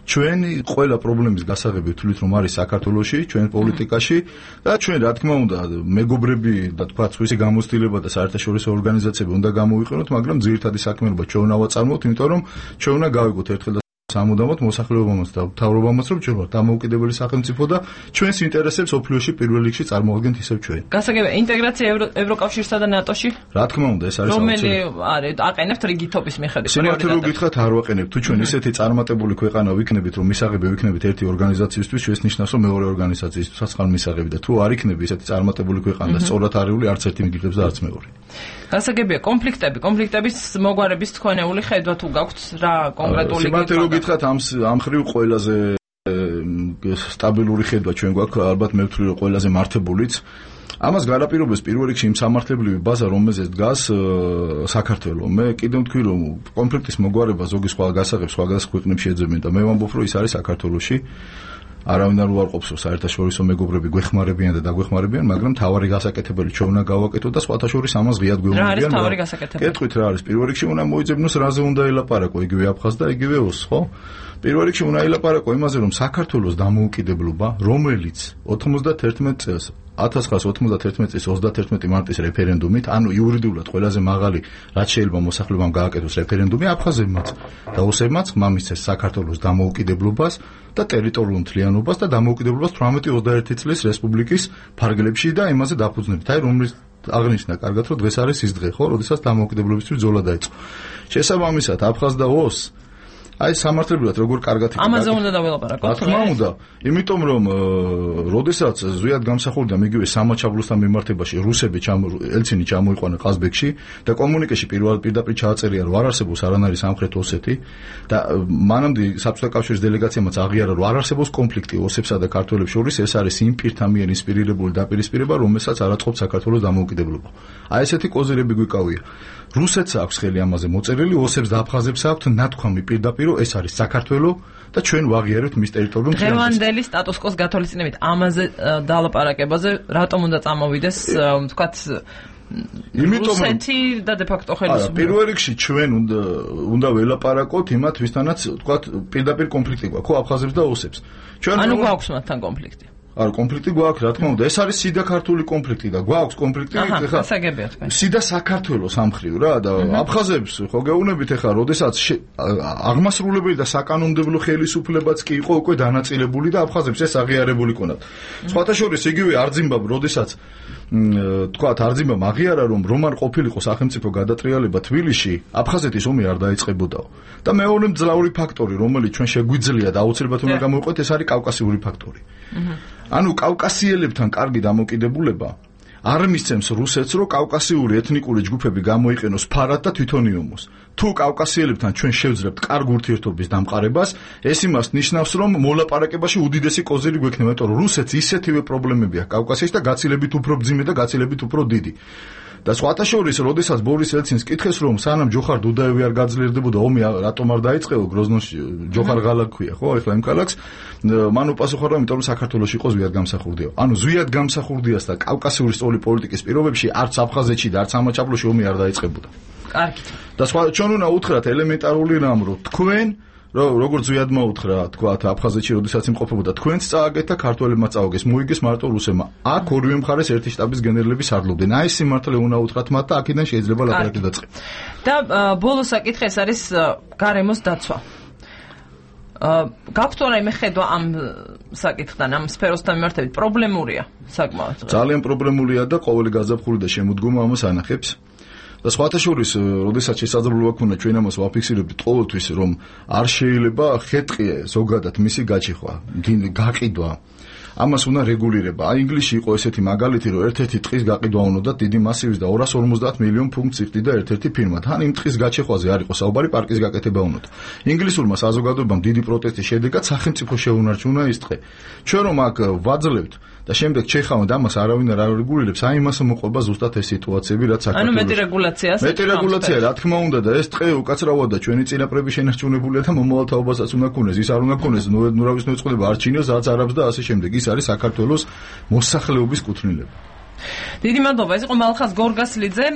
ჩვენი ყველა პრობლემის გასაღები ვთვლით რომ არის საქართველოში, ჩვენ პოლიტიკაში და ჩვენ რა თქმა უნდა მეგობრები და თქვა სხვისი გამოცდილება და საერთაშორისო ორგანიზაციები უნდა გამოვიყენოთ, მაგრამ ძირითადი საქმიანობა ჩვენ უნდა ვაწარმოოთ, იმიტომ რომ ჩვენ უნდა გავიგოთ ერთხელ და სამუდამოდ მოსახლეობამაც და მთავრობამაც რომ ჩვენ ვართ დამოუკიდებელი სახელმწიფო და ჩვენს ინტერესებს ოფლიოში პირველ რიგში წარმოადგენთ ისევ ჩვენ. გასაგებია ინტეგრაცია ევროკავშირსა და ნატოში? რა თქმა უნდა, ეს არის რომელი არის აყენებთ რიგითობის მიხედვით? სიმართლე რომ გითხრათ არ ვაყენებთ, თუ ჩვენ ისეთი წარმატებული ქვეყანა ვიქნებით, რომ მისაღები ვიქნებით ერთი ორგანიზაციისთვის, ეს ნიშნავს რომ მეორე ორგანიზაციისთვისაც ხარ მისაღები და თუ არ იქნები ისეთი წარმატებული ქვეყანა და სწორად არეული არც ერთი მიგდებს და არც მეორე. გასაგებია კონფლიქტების მოგვარების თქვენეული ხედვა თუ გაქვთ რა კონკრეტული გითხრათ ამ ხრივ ყველაზე სტაბილური ხედვა ჩვენ გვაქვს, ალბათ მე ვთვლი რომ ყველაზე მართებულიც. ამას განაპირობებს პირველ რიგში იმ სამართლებრივი ბაზა, რომელზეც დგას საქართველო. მე კიდევ ვთქვი რომ კონფლიქტის მოგვარება ზოგი სხვა გასაღებს სხვადასხვა ქვეყნებში ეძებენ და მე ვამბობ რომ ის არის საქართველოში. არავინ არ უარყოფს რომ საერთაშორისო მეგობრები გვეხმარებიან და დაგვეხმარებიან, მაგრამ თავარი გასაკეთებელი ჩვენ უნდა გავაკეთოთ და სხვათა შორის ამას ღიად გვეუბნებიან. რა არის თავარი გასაკეთებელი? კეთყვით რა არის? პირველ რიგში უნდა მოიძებნოს რაზე უნდა ელაპარაკო, იგივე აფხაზ და იგივე ოს, ხო? პირველ რიგში უნდა ელაპარაკო იმაზე, რომ საქართველოს დამოუკიდებლობა, რომელიც 91 წელს 1991 წლის 31 მარტის რეფერენდუმით, ანუ იურიდიულად ყველაზე მაღალი რაც შეიძლება მოსახლეობამ გააკეთოს რეფერენდუმი აფხაზებმაც და ოსებმაც მამისცეს საქართველოს დამოუკიდებლობას და ტერიტორიულ მთლიანობას და დამოუკიდებლობას 18-21 წლის რესპუბლიკის ფარგლებში და იმაზე დაფუძნებით. აი რომლის აღნიშნა კარგად რომ დღეს არის ის დღე, ხო, როდესაც დამოუკიდებლობისთვის ბრძოლა დაიწყო. შესაბამისად აფხაზ და ოს აი სამართლებრივად როგორ კარგად იქნება. ამაზე უნდა დაველაპარაკოთ. რა თქმა უნდა, იმიტომ რომ როდესაც ზვიად გამსახურდა მიგივე სამაჩაბლოსთან მიმართებაში რუსები ელცინი ჩამოიყვანა ყაზბეგში და კომუნიკეში პირდაპირ ჩააწერია რომ არ არსებობს არანაირი სამხრეთ ოსეთი და მანამდე საბჭოთა კავშირის დელეგაციამაც აღიარა რომ არ არსებობს კონფლიქტი ოსებსა და ქართველებს შორის, ეს არის იმ პირთა მიერ ინსპირირებული დაპირისპირება, რომელსაც არ აწყობს საქართველოს დამოუკიდებლობა. აი ესეთი კოზირები გვიკავია. რუსეთს აქვს ხელი ამაზე მოწერილი, ოსებს და აფხაზებს აქვთ ნათქვამი პირდაპირ ეს არის საქართველო და ჩვენ ვაღიარებთ მის ტერიტორიულ მთლიანობას. დღევანდელი სტატუს-კვოს გათვალისწინებით ამაზე დალაპარაკებაზე რატომ უნდა წამოვიდეს, ვთქვათ, რუსეთი და დე-ფაქტო ხელისუფლება? პირველ რიგში ჩვენ უნდა ველაპარაკოთ იმათ, ვისთანაც ვთქვათ პირდაპირ კონფლიქტი გვაქვს, ხო, აფხაზებს და ოსებს. ანუ გვაქვს მათთან კონფლიქტი. არა, კონფლიქტი გვაქვს, რა თქმა უნდა. ეს არის სიდა ქართული კონფლიქტი და გვაქვს კონფლიქტი, ეხლა გასაგებია თქვენ. სიდა საქართველოს ამხრივ რა და აფხაზებს ხო გეუბნებით ეხლა, როდესაც აღმასრულებელი და საკანონმდებლო ხელისუფლებაც კი იყო უკვე დანაწილებული და აფხაზებს ეს აღიარებული ქონდათ. სხვათა შორის იგივე არძიმბაბ, როდესაც თქვათ არძიმამ აღიარა რომ არ ყოფილიყო სახელმწიფო გადატრიალება თბილისში, აფხაზეთის ომი არ დაიწყებოდაო. და მეორე მძლავრი ფაქტორი, რომელიც ჩვენ შეგვიძლია და აუცილებლად უნდა გამოვიყოთ, ეს არის კავკასიური ფაქტორი. ანუ კავკასიელებთან კარგი დამოკიდებულება არ მისცემს რუსეთს, რომ კავკასიური ეთნიკური ჯგუფები გამოიყენოს ფარად და თვითონ იომოს. თუ კავკასიელებთან ჩვენ შევძლებთ კარგ ურთიერთობის დამყარებას, ეს იმას ნიშნავს, რომ მოლაპარაკებაში უდიდესი კოზირი გვექნება, იმიტომ რომ რუსეთს ისეთივე პრობლემები აქვს კავკასიაში და გაცილებით უფრო ბძიმე და გაცილებით უფრო დიდი. და სხვათა შორის, როდესაც ბორის ელცინს კითხეს, რომ სანამ ჯოხარ დუდაევი არ გაძლიერდებოდა, ომი რატომ არ დაიწყეო გროზნოში, ჯოხარ ღალა ქვია, ხო, ეხლა იმ ქალაქს, მან უპასუხა, რომ იმიტომ რომ საქართველოში იყო ზვიად გამსახურდია. ანუ ზვიად გამსახურდიას და კავკასიური სწორი პოლიტიკის პირობებში არც აფხაზეთში და არც ამაჩაბლოში ომი არ დაიწყებოდა. კარგი. და ჩვენ უნდა უთხრათ ელემენტარული რამ, რომ თქვენ როგორც ზვიად მოუთხრა, თქვათ, აფხაზეთში როდესაც იმყოფებოდა, თქვენც წააგეთ და ქართველებმა წააგეს, მოიგეს მარტო რუსებმა. აქ ორივე მხარეს ერთი შტაბის გენერლები სარდლობდნენ. აი ეს სიმართლე უნდა უთხრათ მათ და აქედან შეიძლება ლაპარაკი დაწყება. და ბოლო საკითხი ეს არის გარემოს დაცვა. გაქვთ რაიმე ხედვა ამ საკითხთან, ამ სფეროსთან მიმართებით პრობლემურია საკმაოდ. ძალიან პრობლემურია და ყოველი გაზაფხული და შემოდგომა ამას ანახებს. და სხვათა შორის, როდესაც შესაძლებლობა ქონდა ჩვენ ამას ვაფიქსირებდით ყოველთვის, რომ არ შეიძლება ხეტყიე ზოგადად მისი გაჭიხვა, გაყიდვა. ამას უნდა რეგულირება. აი ინგლისში იყო ესეთი მაგალითი, რომ ერთ-ერთი ტყის გაყიდვა უნდა დიდი მასივის და 250 მილიონ ფუნტს იხდიდა ერთ-ერთი ფირმა. თან იმ ტყის გაჭეხვაზე არ იყო საუბარი, პარკის გაკეთება უნდა. ინგლისურმა საზოგადოებამ დიდი პროტესტის შედეგად სახელმწიფო შეუნარჩუნა ის ტყე. ჩვენ რომ აქ ვაძლევთ და შემდეგ ჩეხავთ ამას არავინ არ რეგულირებს, აი იმას მოყვება ზუსტად ეს სიტუაციები, რაც საქართველოს. ანუ მეტი რეგულაციას. მეტი რეგულაცია, რა თქმა უნდა და ეს ტყე უკაცრავად და ჩვენი წინაპრები შენარჩუნებულია და მომავალ თაობასაც უნდა ქონდეს. ის არ უნდა ქონდეს ნურავის მოწყდება არჩინოს, რაც არაბს და ასე შემდეგ. ის არის საქართველოს მოსახლეობის კუთვნილება. დიდი მადლობა. ეს იყო მალხაზ გორგასლიძე,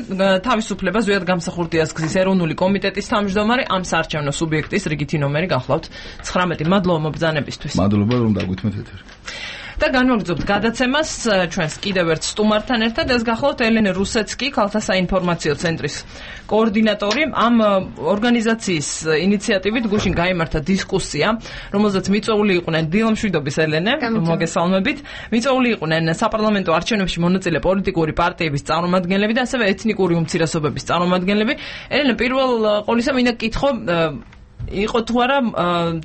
თავისუფლება ზვიად გამსახურდიას გზის ეროვნული კომიტეტის თავმჯდომარე, ამ საარჩევნო სუბიექტის რიგითი ნომერი გახლავთ 19. მადლობა მობრძანებისთვის. მადლობა რომ დაგვითმეთ ეთერი. და განვაგრძობთ გადაცემას ჩვენს კიდევ ერთ სტუმართან ერთად. ეს გახლავთ ელენე რუსეცკი, ქალთა საინფორმაციო ცენტრის კოორდინატორი. ამ ორგანიზაციის ინიციატივით გუშინ გაიმართა დისკუსია, რომელზეც მიწვეული იყვნენ დილამშვიდობის ელენე, მოგესალმებით. მიწვეული იყვნენ საპარლამენტო არჩევნებში მონაწილე პოლიტიკური პარტიების წარმომადგენლები და ასევე ეთნიკური უმცირესობების წარმომადგენლები. ელენე, პირველ ყოვლისა მინდა გკითხო, იყო თუ არა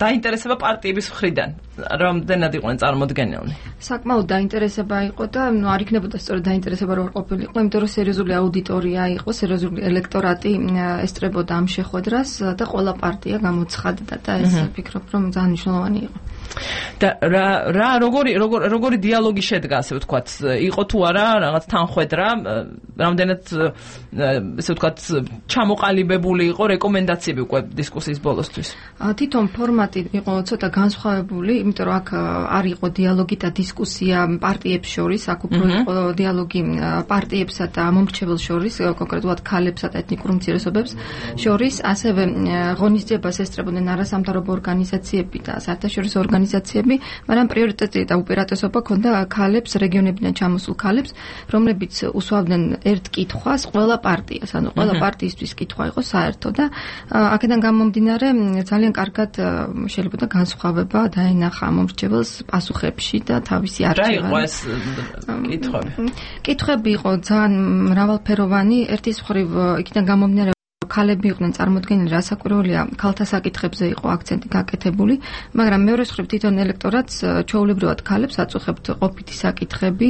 დაინტერესება პარტიების მხრიდან, რამდენად იყვნენ წარმოდგენილნი? საკმაოდ დაინტერესება იყო და არ იქნებოდა სწორედ დაინტერესება რო არ ყოფილიყო, იმიტომ რომ სერიოზული აუდიტორია იყო, სერიოზული ელექტორატი ესწრებოდა ამ შეხვედრას და ყველა პარტია გამოცხადდა და ეს ვფიქრობ რომ ძალიან მნიშვნელოვანი იყო. და როგორი დიალოგი შედგა, ასე ვთქვათ, იყო თუ არა რაღაც თანხვედრა, რამდენად ესე ვთქვათ ჩამოყალიბებული იყო რეკომენდაციები უკვე დისკუსიის ბოლოსთვის? თვითონ ფორმატი იყო ცოტა განსხვავებული, იმიტომ რომ აქ არ იყო დიალოგი და დისკუსია პარტიებს შორის, აქ უფრო იყო დიალოგი პარტიებსა და მომრჩეველს შორის, კონკრეტულად ქალებსა და ეთნიკურ უმცირესობებს შორის, ასევე ღონისძიებას ესწრებოდნენ არასამთავრობო ორგანიზაციები და საერთაშორისო ორგანიზაციები, მაგრამ პრიორიტეტი და უპირატესობა ჰქონდა ქალებს, რეგიონებიდან ჩამოსულ ქალებს, რომლებიც უსვამდნენ ერთ კითხვას ყველა პარტიას, ანუ ყველა პარტიისთვის კითხვა იყო საერთო და აქედან გამომდინარე ძალიან კარგად შეიძლება და განსხვავება დაენახა მომრჩეველს პასუხებში და თავისი არჩევანი. რა იყო ეს კითხვები? კითხვები იყო ძალიან მრავალფეროვანი, ერთის მხრივ იქიდან გამომდინარე ქალები იყვნენ წარმოდგენილი, რასაკვირველია, ქალთა საკითხებზე იყო აქცენტი გაკეთებული, მაგრამ მეორეს მხრივ თვითონ ელექტორატს ჩვეულებრივად ქალებს აწუხებთ ყოფითი საკითხები,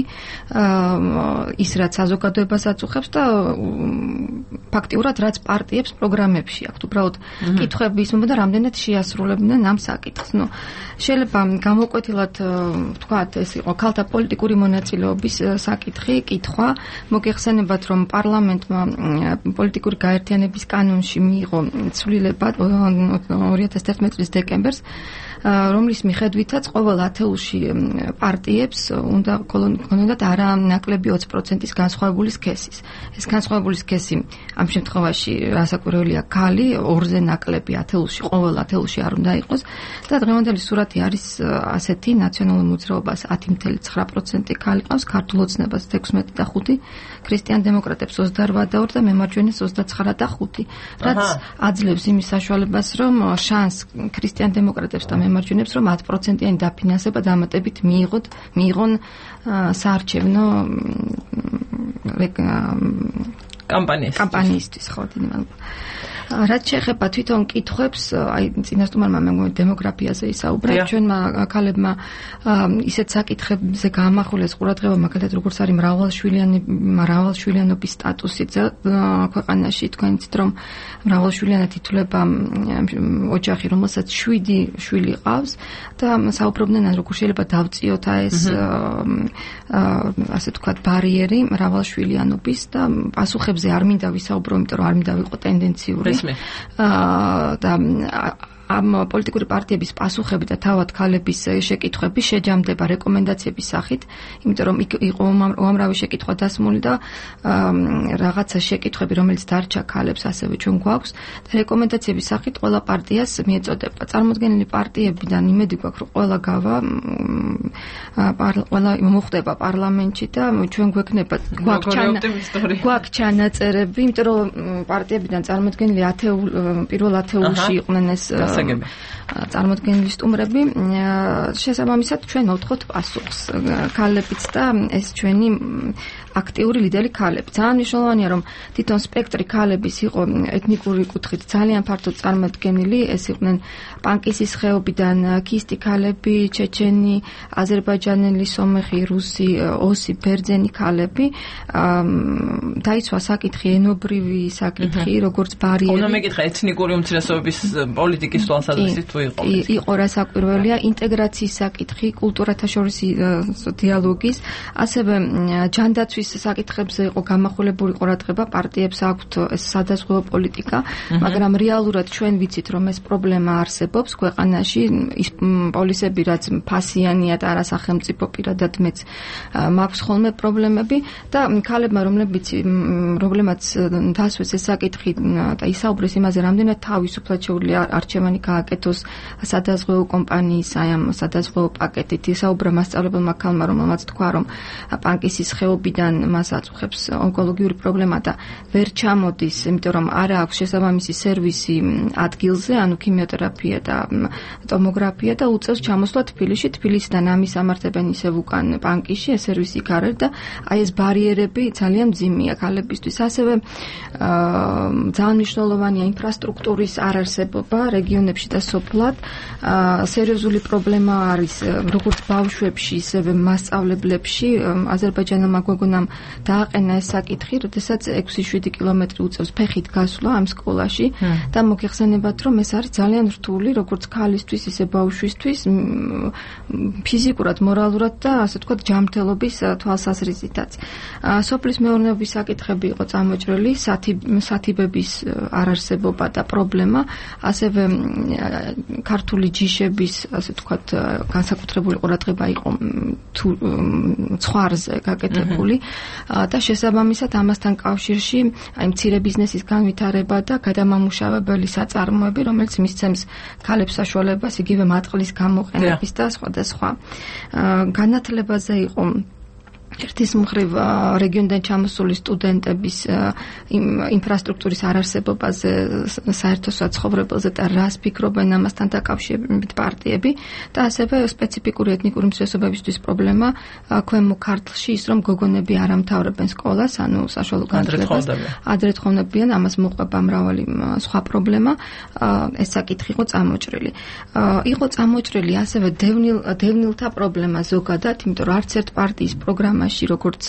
ის რაც საზოგადოებას აწუხებს და ფაქტიურად რაც პარტიებს პროგრამებში აქვთ, უბრალოდ კითხვები ისმოდა რამდენად შეასრულებდნენ ამ საკითხს. ნუ შეიძლება გამოკვეთილად ვთქვათ, ეს იყო ქალთა პოლიტიკური მონაწილეობის საკითხი, კითხვა, მოგეხსენებათ, რომ პარლამენტმა პოლიტიკური გაერთიანების კანონში მიიღო ცვლილება 2011 წლის დეკემბერს, რომლის მიხედვითაც ყოველ ათეულში პარტიებს უნდა ქონოდათ არა ნაკლები 20%-ის განსხვავებული სქესის. ეს განსხვავებული სქესი ამ შემთხვევაში რასაკვირველია ქალი, ორზე ნაკლები ათეულში, ყოველ ათეულში არ უნდა იყოს და დღევანდელი სურათი არის ასეთი: ნაციონალურ მოძრაობას 10.9% ქალი ყავს, ქართულ ოცნებას 16.5%, ქრისტიან დემოკრატებს 28% და მემარჯვენეს 29.5%, რაც აძლევს იმის საშუალებას, რომ შანს ქრისტიან დემოკრატებს და მემარჯვენებს, რომ 10%-იანი დაფინანსება დამატებით მიიღონ საარჩევნო კამპანიისთვის ხო დიდი მადლობა. რაც შეეხება თვითონ კითხვებს, აი წინასწარმეტყველმა მე მგონი დემოგრაფიაზე ისაუბრა, ჩვენმა ქალებმა ისეთ საკითხებზე გაამახვილეს ყურადღება, მაგალითად როგორც არის მრავალშვილიანობის სტატუსი ქვეყანაში, თქვენ იცით რომ მრავალშვილიანად ითვლება ოჯახი, რომელსაც 7 შვილი ყავს და საუბრობდნენ როგორ შეიძლება დავწიოთ ეს ასე ვთქვათ ბარიერი მრავალშვილიანობის და პასუხებზე არ მინდა ვისაუბრო, იმიტომ რომ არ მინდა ვიყო ტენდენციური და ამ პოლიტიკური პარტიების პასუხები და თავად ქალების შეკითხვები შეჯამდება რეკომენდაციების სახით, იმიტომ რომ იყო უამრავი შეკითხვა დასმული და რაღაცა შეკითხვები, რომელიც დარჩა ქალებს, ასევე ჩვენ გვაქვს და რეკომენდაციების სახით ყველა პარტიას მიეწოდება. წარმოდგენილი პარტიებიდან იმედი გვაქვს, რომ ყველა მოხდება პარლამენტში და ჩვენ გვაქვს ჩანაწერები, იმიტომ რომ პარტიებიდან წარმოდგენილი პირველ ათეულში იყვნენ ეს წარმოდგენილი სტუმრები, შესაბამისად ჩვენ მოვთხოვთ პასუხს ქალებიც და ეს ჩვენი აქტიური ლიდერი ქალები. ძალიან მნიშვნელოვანია რომ თვითონ სპექტრი ქალების იყო ეთნიკური კუთხით ძალიან ფართოდ წარმოდგენილი, ეს იყვნენ პანკისის ხეობიდან ქისტი ქალები, ჩეჩენი, აზერბაიჯანელი, სომეხი, რუსი, ოსი, ბერძენი ქალები. დაიცვა საკითხი ენობრივი საკითხი, როგორც ბარიერი. უნდა მეკითხა ეთნიკური უმცირესობების პოლიტიკის თვალსაზრისით თუ იყო. იყო რა საკვირველია, ინტეგრაციის საკითხი, კულტურათა შორის დიალოგის, ასევე ჯანდაცვის საკითხებზე იყო გამახვილებული ყურადღება, პარტიებს აქვთ ეს სადაზღვევო პოლიტიკა, მაგრამ რეალურად ჩვენ ვიცით რომ ეს პრობლემა არსებობს ქვეყანაში, ის პოლისები რაც ფასიანია და არასახელმწიფო პირადად მეც მაქვს ხოლმე პრობლემები და ქალებმა რომლებმაც დასვეს ეს საკითხი და ისაუბრეს იმაზე, რამდენად თავისუფლად შეუძლია არჩევანი გააკეთოს სადაზღვევო კომპანიის აი ამ სადაზღვევო პაკეტით, ისაუბრა მასწავლებელმა ქალმა, რომელმაც თქვა რომ პანკისის ხეობიდან მას აწუხებს ონკოლოგიური პრობლემა და ვერ ჩამოდის, იმიტომ რომ არ აქვს შესაბამისი სერვისი ადგილზე, ანუ ქიმიოთერაპია და ტომოგრაფია და უწევს ჩამოსვლა თბილისში, თბილისიდან ამის ამართებენ ისევ უკან პანკისში, ეს სერვისი იქ არ არის და აი ეს ბარიერები ძალიან მძიმეა ქალებისთვის. ასევე ძალიან მნიშვნელოვანია ინფრასტრუქტურის არარსებობა რეგიონებში და სოფლად. სერიოზული პრობლემა არის როგორც ბავშვებში, ისევე მასწავლებლებში. აზერბაიჯანელმა გვეგონამ დააყენა ეს საკითხი, როდესაც 6-7 კილომეტრი უწევს ფეხით გასვლა ამ სკოლაში და მოგეხსენებათ, რომ ეს არის ძალიან რთული, როგორც ქალისთვის, ისე ბავშვისთვის, ფიზიკურად, მორალურად და ასე ვთქვათ, ჯანმრთელობის თვალსაზრისითაც. სოფლის მეურნეობის საკითხები იყო წამოჭრილი, სათიბების არარსებობა და პრობლემა, ასევე ქართული ჯიშების, ასე ვთქვათ, განსაკუთრებული ყურადღება იყო ცხვარზე გაკეთებული და შესაბამისად ამასთან კავშირში აი მცირე ბიზნესის განვითარება და გადამამუშავებელი საწარმოები, რომელიც მისცემს ქალებს საშუალებას იგივე მატყლის გამოყენების და სხვა. განათლებაზე იყო ერთის მხრივ რეგიონიდან ჩამოსული სტუდენტების ინფრასტრუქტურის არარსებობაზე, საერთო საცხოვრებელზე და რას ფიქრობენ ამასთან დაკავშირებით პარტიები და ასევე სპეციფიკური ეთნიკური უმცირესობებისთვის პრობლემა ქვემო ქართლში ის რომ გოგონები არ ამთავრებენ სკოლას, ანუ საშუალო განათლებას ადრე თხოვნებიან, ამას მოყვება მრავალი სხვა პრობლემა, ეს საკითხი იყო წამოჭრილი. იყო წამოჭრილი ასევე დევნილთა პრობლემა ზოგადად, იმიტომ რომ არც ერთ პარტიის პროგრამა როგორც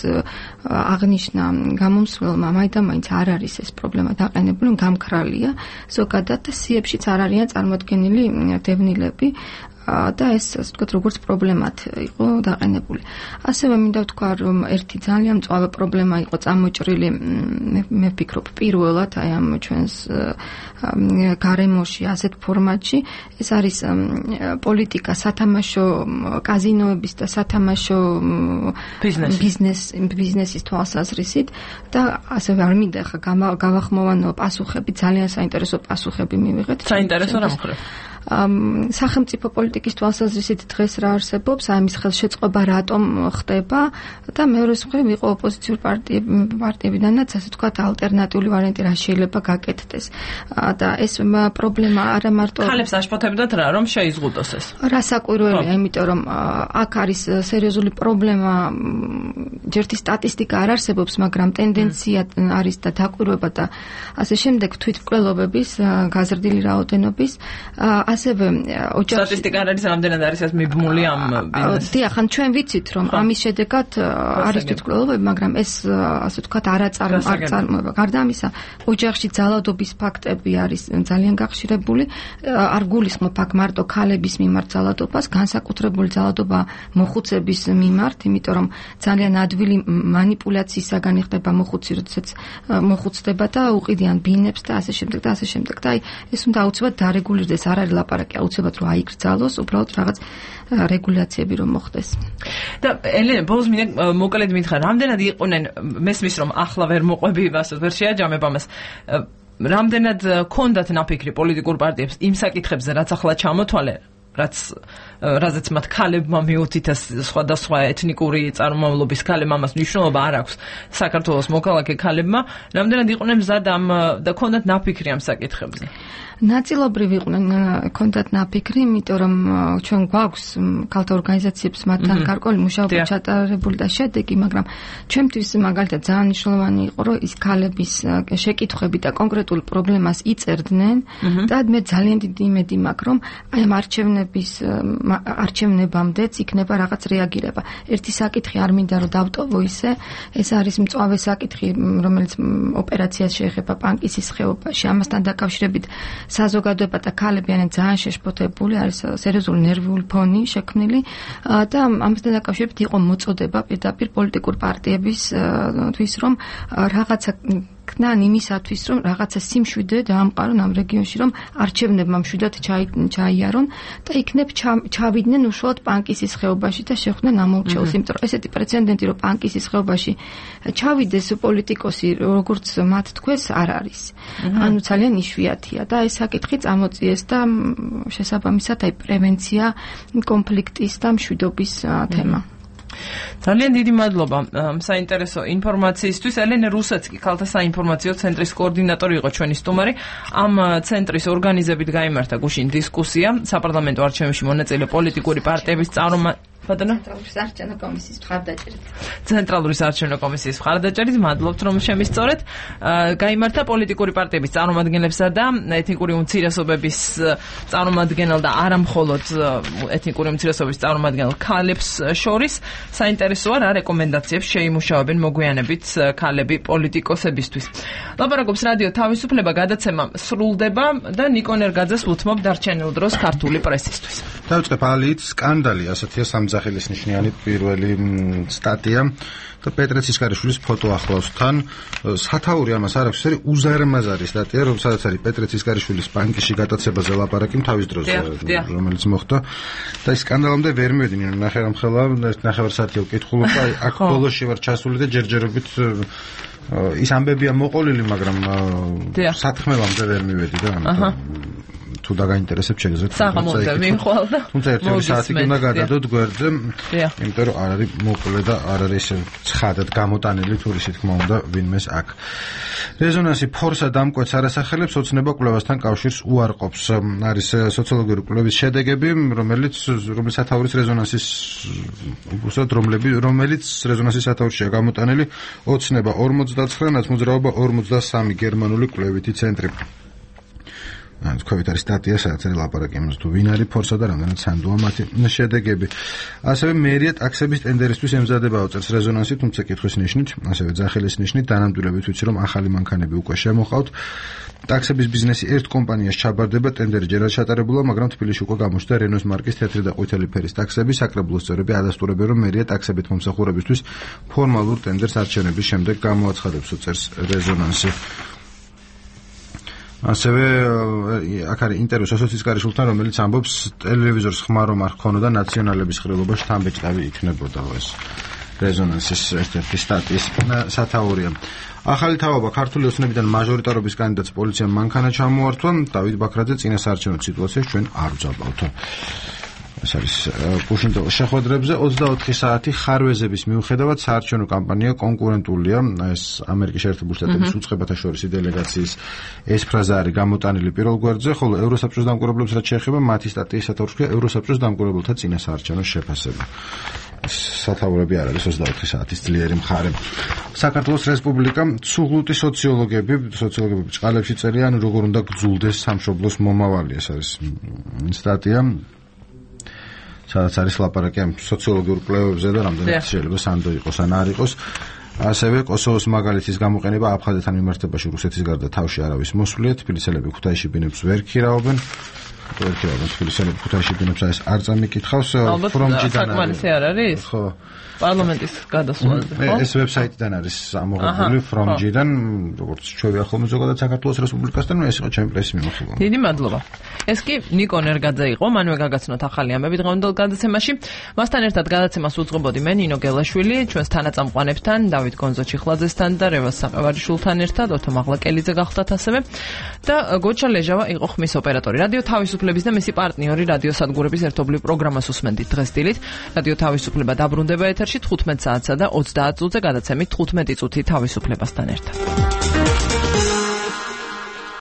აღნიშნა გამომსვლელმა, მაინც არ არის ეს პრობლემა დაყენებული, გამქრალია ზოგადად და სიებშიც არ არიან წარმოდგენილი დევნილები და ეს ასე ვთქვათ როგორც პრობლემად იყო დაყენებული. ასევე მინდა ვთქვა რომ ერთი ძალიან მწვავე პრობლემა იყო წამოჭრილი, მე ვფიქრობ პირველად აი ამ ჩვენს გარემოში ასეთ ფორმატში, ეს არის პოლიტიკა სათამაშო კაზინოების და სათამაშო ბიზნესის თვალსაზრისით და ასევე არ მინდა ხა გავახმოვანო პასუხები, ძალიან საინტერესო პასუხები მივიღეთ. საინტერესო რა მხრივ? სახელმწიფო პოლიტიკის თვალსაზრისით დღეს რა არსებობს, აი მის ხელშეწყობა რატომ ხდება და მეორე მხრივ იყო ოპოზიციური პარტიებიდანაც ასე ვთქვათ ალტერნატიული ვარიანტი რა შეიძლება გაკეთდეს. და ეს პრობლემა არა მარტო ხალებს აშფოთებდათ რა რომ შეიზღუდოს ეს. რასაკვირველია, იმიტომ რომ აქ არის სერიოზული პრობლემა, ჯერთი სტატისტიკა არ არსებობს, მაგრამ ტენდენცია არის და დაკვირვება და ასე შემდეგ თვითმკვლელობების გაზრდილი რაოდენობის, ასევე ოჯახში სტატისტიკა არ არის რამდენად არის ეს მიბმული ამ ბიზნესს. დიახ, ან ჩვენ ვიცით რომ ამის შედეგად არის თვითმკვლელობები, მაგრამ ეს ასე ვთქვათ არ წარმოება. გარდა ამისა, ოჯახში ძალადობის ფაქტები არის ძალიან გახშირებული, არ გულისხმობ აქ მარტო ქალების მიმართ ძალადობას, განსაკუთრებული ძალადობა მოხუცების მიმართ, იმიტომ რომ ძალიან ადვილი მანიპულაციისაგან ხდება მოხუცი, როდესაც მოხუცდება და უყიდიან ბინებს და ასე შემდეგ და ასე შემდეგ. და აი ეს უნდა აუცილებლად დარეგულირდეს, არ არის ლაპარაკი აუცილებლად რომ აიკრძალოს, უბრალოდ რაღაც რეგულაციები რომ მოხდეს. და ელენე, ბოლოს მინდა მოკლედ მითხრა, რამდენად იყვნენ მესმის რომ ახლა ვერ მოყვები ვასოთ, ვერ შეაჯამებ ამას. რამდენად კონდათ ნაფიქრი პოლიტიკურ პარტიებს იმ საკითხებზე, რაც ახლა ჩამოთვალე, რაზეც მათ ქალებმა მიუთითეს სხვადასხვა ეთნიკური წარმომავლობის ქალებმა ამას მნიშვნელობა არ აქვს საქართველოს მოქალაქე ქალებმა, რამდენად იყვნენ მზად ამ და კონდათ ნაფიქრი ამ საკითხებზე? ნაწილობრივ იყვნენ კონდათ ნაფიქრი, იმიტომ რომ ჩვენ გვაქვს ქალთა ორგანიზაციებს მათთან გარკვეული მუშაობა ჩატარებული და შედეგი, მაგრამ ჩვენთვის მაგალითად ძალიან მნიშვნელოვანი იყო, რომ ის ქალების შეკითხვები და კონკრეტულ პრობლემას იწერდნენ და მე ძალიან დიდი იმედი მაქვს, რომ აი ამ არჩევნებამდეც იქნება რაღაც რეაგირება. ერთი საკითხი არ მინდა რომ დავტოვო ისე, ეს არის მწვავე საკითხი, რომელიც ოპერაციას შეეხება პანკისის ხეობაში. ამასთან დაკავშირებით საზოგადოება და ქალები არიან ძალიან შეშფოთებული, არის სერიოზული ნერვიული ფონი შექმნილი და ამასთან დაკავშირებით იყო მოწოდება პირდაპირ პოლიტიკურ პარტიებისთვის, რომ რაღაცა ქნან იმისათვის, რომ რაღაცა სიმშვიდე დაამყარონ ამ რეგიონში, რომ არჩევნებმა მშვიდად ჩაიარონ და იქნებ ჩავიდნენ უშუალოდ პანკისის ხეობაში და შეხვდნენ ამორჩეულს, იმიტომ რომ ესეთი პრეცედენტი, რომ პანკისის ხეობაში ჩავიდეს პოლიტიკოსი, როგორც მათ თქვეს, არ არის. ანუ ძალიან იშვიათია და ეს საკითხი წამოწიეს და შესაბამისად აი პრევენცია კონფლიქტის და მშვიდობის თემა. ძალიან დიდი მადლობა საინტერესო ინფორმაციისთვის. ელენე რუსეცკი, ქალთა საინფორმაციო ცენტრის კოორდინატორი იყო ჩვენი სტუმარი. ამ ცენტრის ორგანიზებით გაიმართა გუშინ დისკუსია საპარლამენტო არჩევნებში მონაწილე პოლიტიკური პარტიების ცენტრალური საარჩევნო კომისიის მხარდაჭერით. ცენტრალური საარჩევნო კომისიის მხარდაჭერით, მადლობთ რომ შემისწორეთ. გაიმართა პოლიტიკური პარტიების წარმომადგენლებსა და ეთნიკური უმცირესობების წარმომადგენელ და არა მხოლოდ ეთნიკური უმცირესობების წარმომადგენელ ქალებს შორის. საინტერესოა რა რეკომენდაციებს შეიმუშავებენ მოგვიანებით ქალები პოლიტიკოსებისთვის. ლაპარაკობს რადიო თავისუფლება, გადაცემა სრულდება და ნიკონ ერგაძეს უთმობ დარჩენილ დროს ქართული პრესისთვის. დავიწყებ ალით სკანდალი, ასეთია სამძახილის ნიშნიანი პირველი სტატია და პეტრე ცისკარიშვილის ფოტო ახლავს თან. სათაური ამას არ აქვს, ეს უზარმაზარი სტატია, რომელსაც არის პეტრე ცისკარიშვილის ბანკში გატაცებაზე ლაპარაკი თავის დროზე, რომელიც მოხდა და ის სკანდალამდე ვერ მივედინე, ნახევარმხელა, ნახევარ საათი ვკითხულობდა, აქ ბოლოში ვარ ჩასული და ჯერჯერობით ის ამბებია მოყოლილი, მაგრამ სათქმელამდე ვერ მივედი და თუ დაგაინტერესებს შეგეძლოთ თუმცა ერთი საათი უნდა გადადოთ გვერდზე, იმიტომ რომ არ არის მოკლე და არ არის ცხადად გამოტანილი თურისი თქმა უნდა ვინმეს აქ. რეზონანსი ფორსა დამკვეთს არასახელებს ოცნება კვლევასთან კავშირს უარყოფს. არის სოციოლოგიური კვლევის შედეგები, რომელიც სათაურის რეზონანსის რომელიც რეზონანსის სათაურშია გამოტანილი ოცნება 49, ნაცმოძრაობა 43 გერმანული კვლევითი ცენტრი. თქვით არის სტატია, სადაც არის ლაპარაკი იმაზე, თუ ვინ არის ფორსა და რამდენად სანდოა მათი შედეგები. ასევე მერია ტაქსების ტენდერისთვის ემზადება უწევს რეზონანსი, თუმცა კითხვის ნიშნით, ასევე ძახილის ნიშნით, დანამდვილებით ვიცი, რომ ახალი მანქანები უკვე შემოყავთ. ტაქსების ბიზნესი ერთ კომპანიას ჩაბარდება, ტენდერი ჯერ არ ჩატარებულა, მაგრამ თბილისში უკვე გამოჩნდა რენოს მარკის თეთრი და ყვითელი ფერის ტაქსები. საკრებულოს წევრები ადასტურებენ, რომ მერია ტაქსებით მომსახურებისთვის ფორმალურ ტენდერს არჩევნების შემდეგ გამოაცხადებს, უწევს რეზონანსი. ასევე აქ არის ინტერვიუ სოციალისტკარიშვილთან, რომელიც ამბობს, ტელევიზორს ხმა რომ არ ჰქონოდა ნაციონალების ხილობაში თან ბეჭდავი იქნებოდა ეს რეზონანსის ერთ-ერთი სტატიის სათაურია. ახალი თავობა ქართული ოცნებიდან მაჟორიტარობის კანდიდატს პოლიციამ მანქანა ჩამოართვა. დავით ბაქრაძე წინასაარჩევნო სიტუაციაში ჩვენ არ ვძაბავთ. ეს არის კუშინტოვის შეხვედრებზე 24 საათი ხარვეზების მიუხედავად საარჩევნო კამპანია კონკურენტულია. ეს ამერიკის შეერთებული შტატების უწყებათა შორისი დელეგაციის ეს ფრაზა არის გამოტანილი პირველ გვერდზე, ხოლო ევროსაბჭოს დამკვირვებლებს რაც შეეხება მათი სტატიის სათაურია ევროსაბჭოს დამკვირვებელთა წინასაარჩევნო შეფასება. სათაურები არ არის 24 საათის ძლიერი მხარე. საქართველოს რესპუბლიკა ცუღლუტი სოციოლოგები ბრწყალებში წერიან როგორ უნდა გძულდეს სამშობლოს მომავალი. ეს არის სტატია სადაც არის ლაპარაკი ამ სოციოლოგიურ კვლევებზე და რამდენად შეიძლება სანდო იყოს ან არ იყოს. ასევე კოსოვოს მაგალითის გამოყენება აფხაზეთთან მიმართებაში რუსეთის გარდა თავში არავის მოსვლია. თბილისელები ქუთაისში ბინებს ვერ ქირავენ. თბილისელები ქუთაისში ბინებს ეს არ წამიკითხავს. ფრომჯიდან არის? ხო. პარლამენტის გადასვლაზე, ხო? ეს ვებსაიტიდან არის ამოღებული ფრომჯიდან, როგორც ჩვევია ხოლმე ზოგადად საქართველოს რესპუბლიკასთან, ეს იყო ჩემი პრესის მიმოხილვა. დიდი მადლობა. ეს კი ნიკო ნერგაძე იყო, მანვე გაგაცნოთ ახალი ამბები დღევანდელ გადაცემაში. მასთან ერთად გადაცემას უძღვებოდი მე ნინო გელაშვილი, ჩვენს თანაწამყვანებთან, დავით გონძო-ჩიხლაძესთან და რევაზ საყევარიშვილთან ერთად, ოთო მაღლაკელიძე გახლდათ ასევე და გოჩა ლეჟავა იყო ხმის ოპერატორი. რადიო თავისუფლების და მისი პარტნიორი რადიო სადგურების ერთობლივ პროგრამას უსმენდით დღეს დილით. რადიო თავისუფლება დაბრუნდება ეთერში 15 საათსა და 30 წუთზე გადაცემით 15 წუთი თავისუფლებასთან ერთად.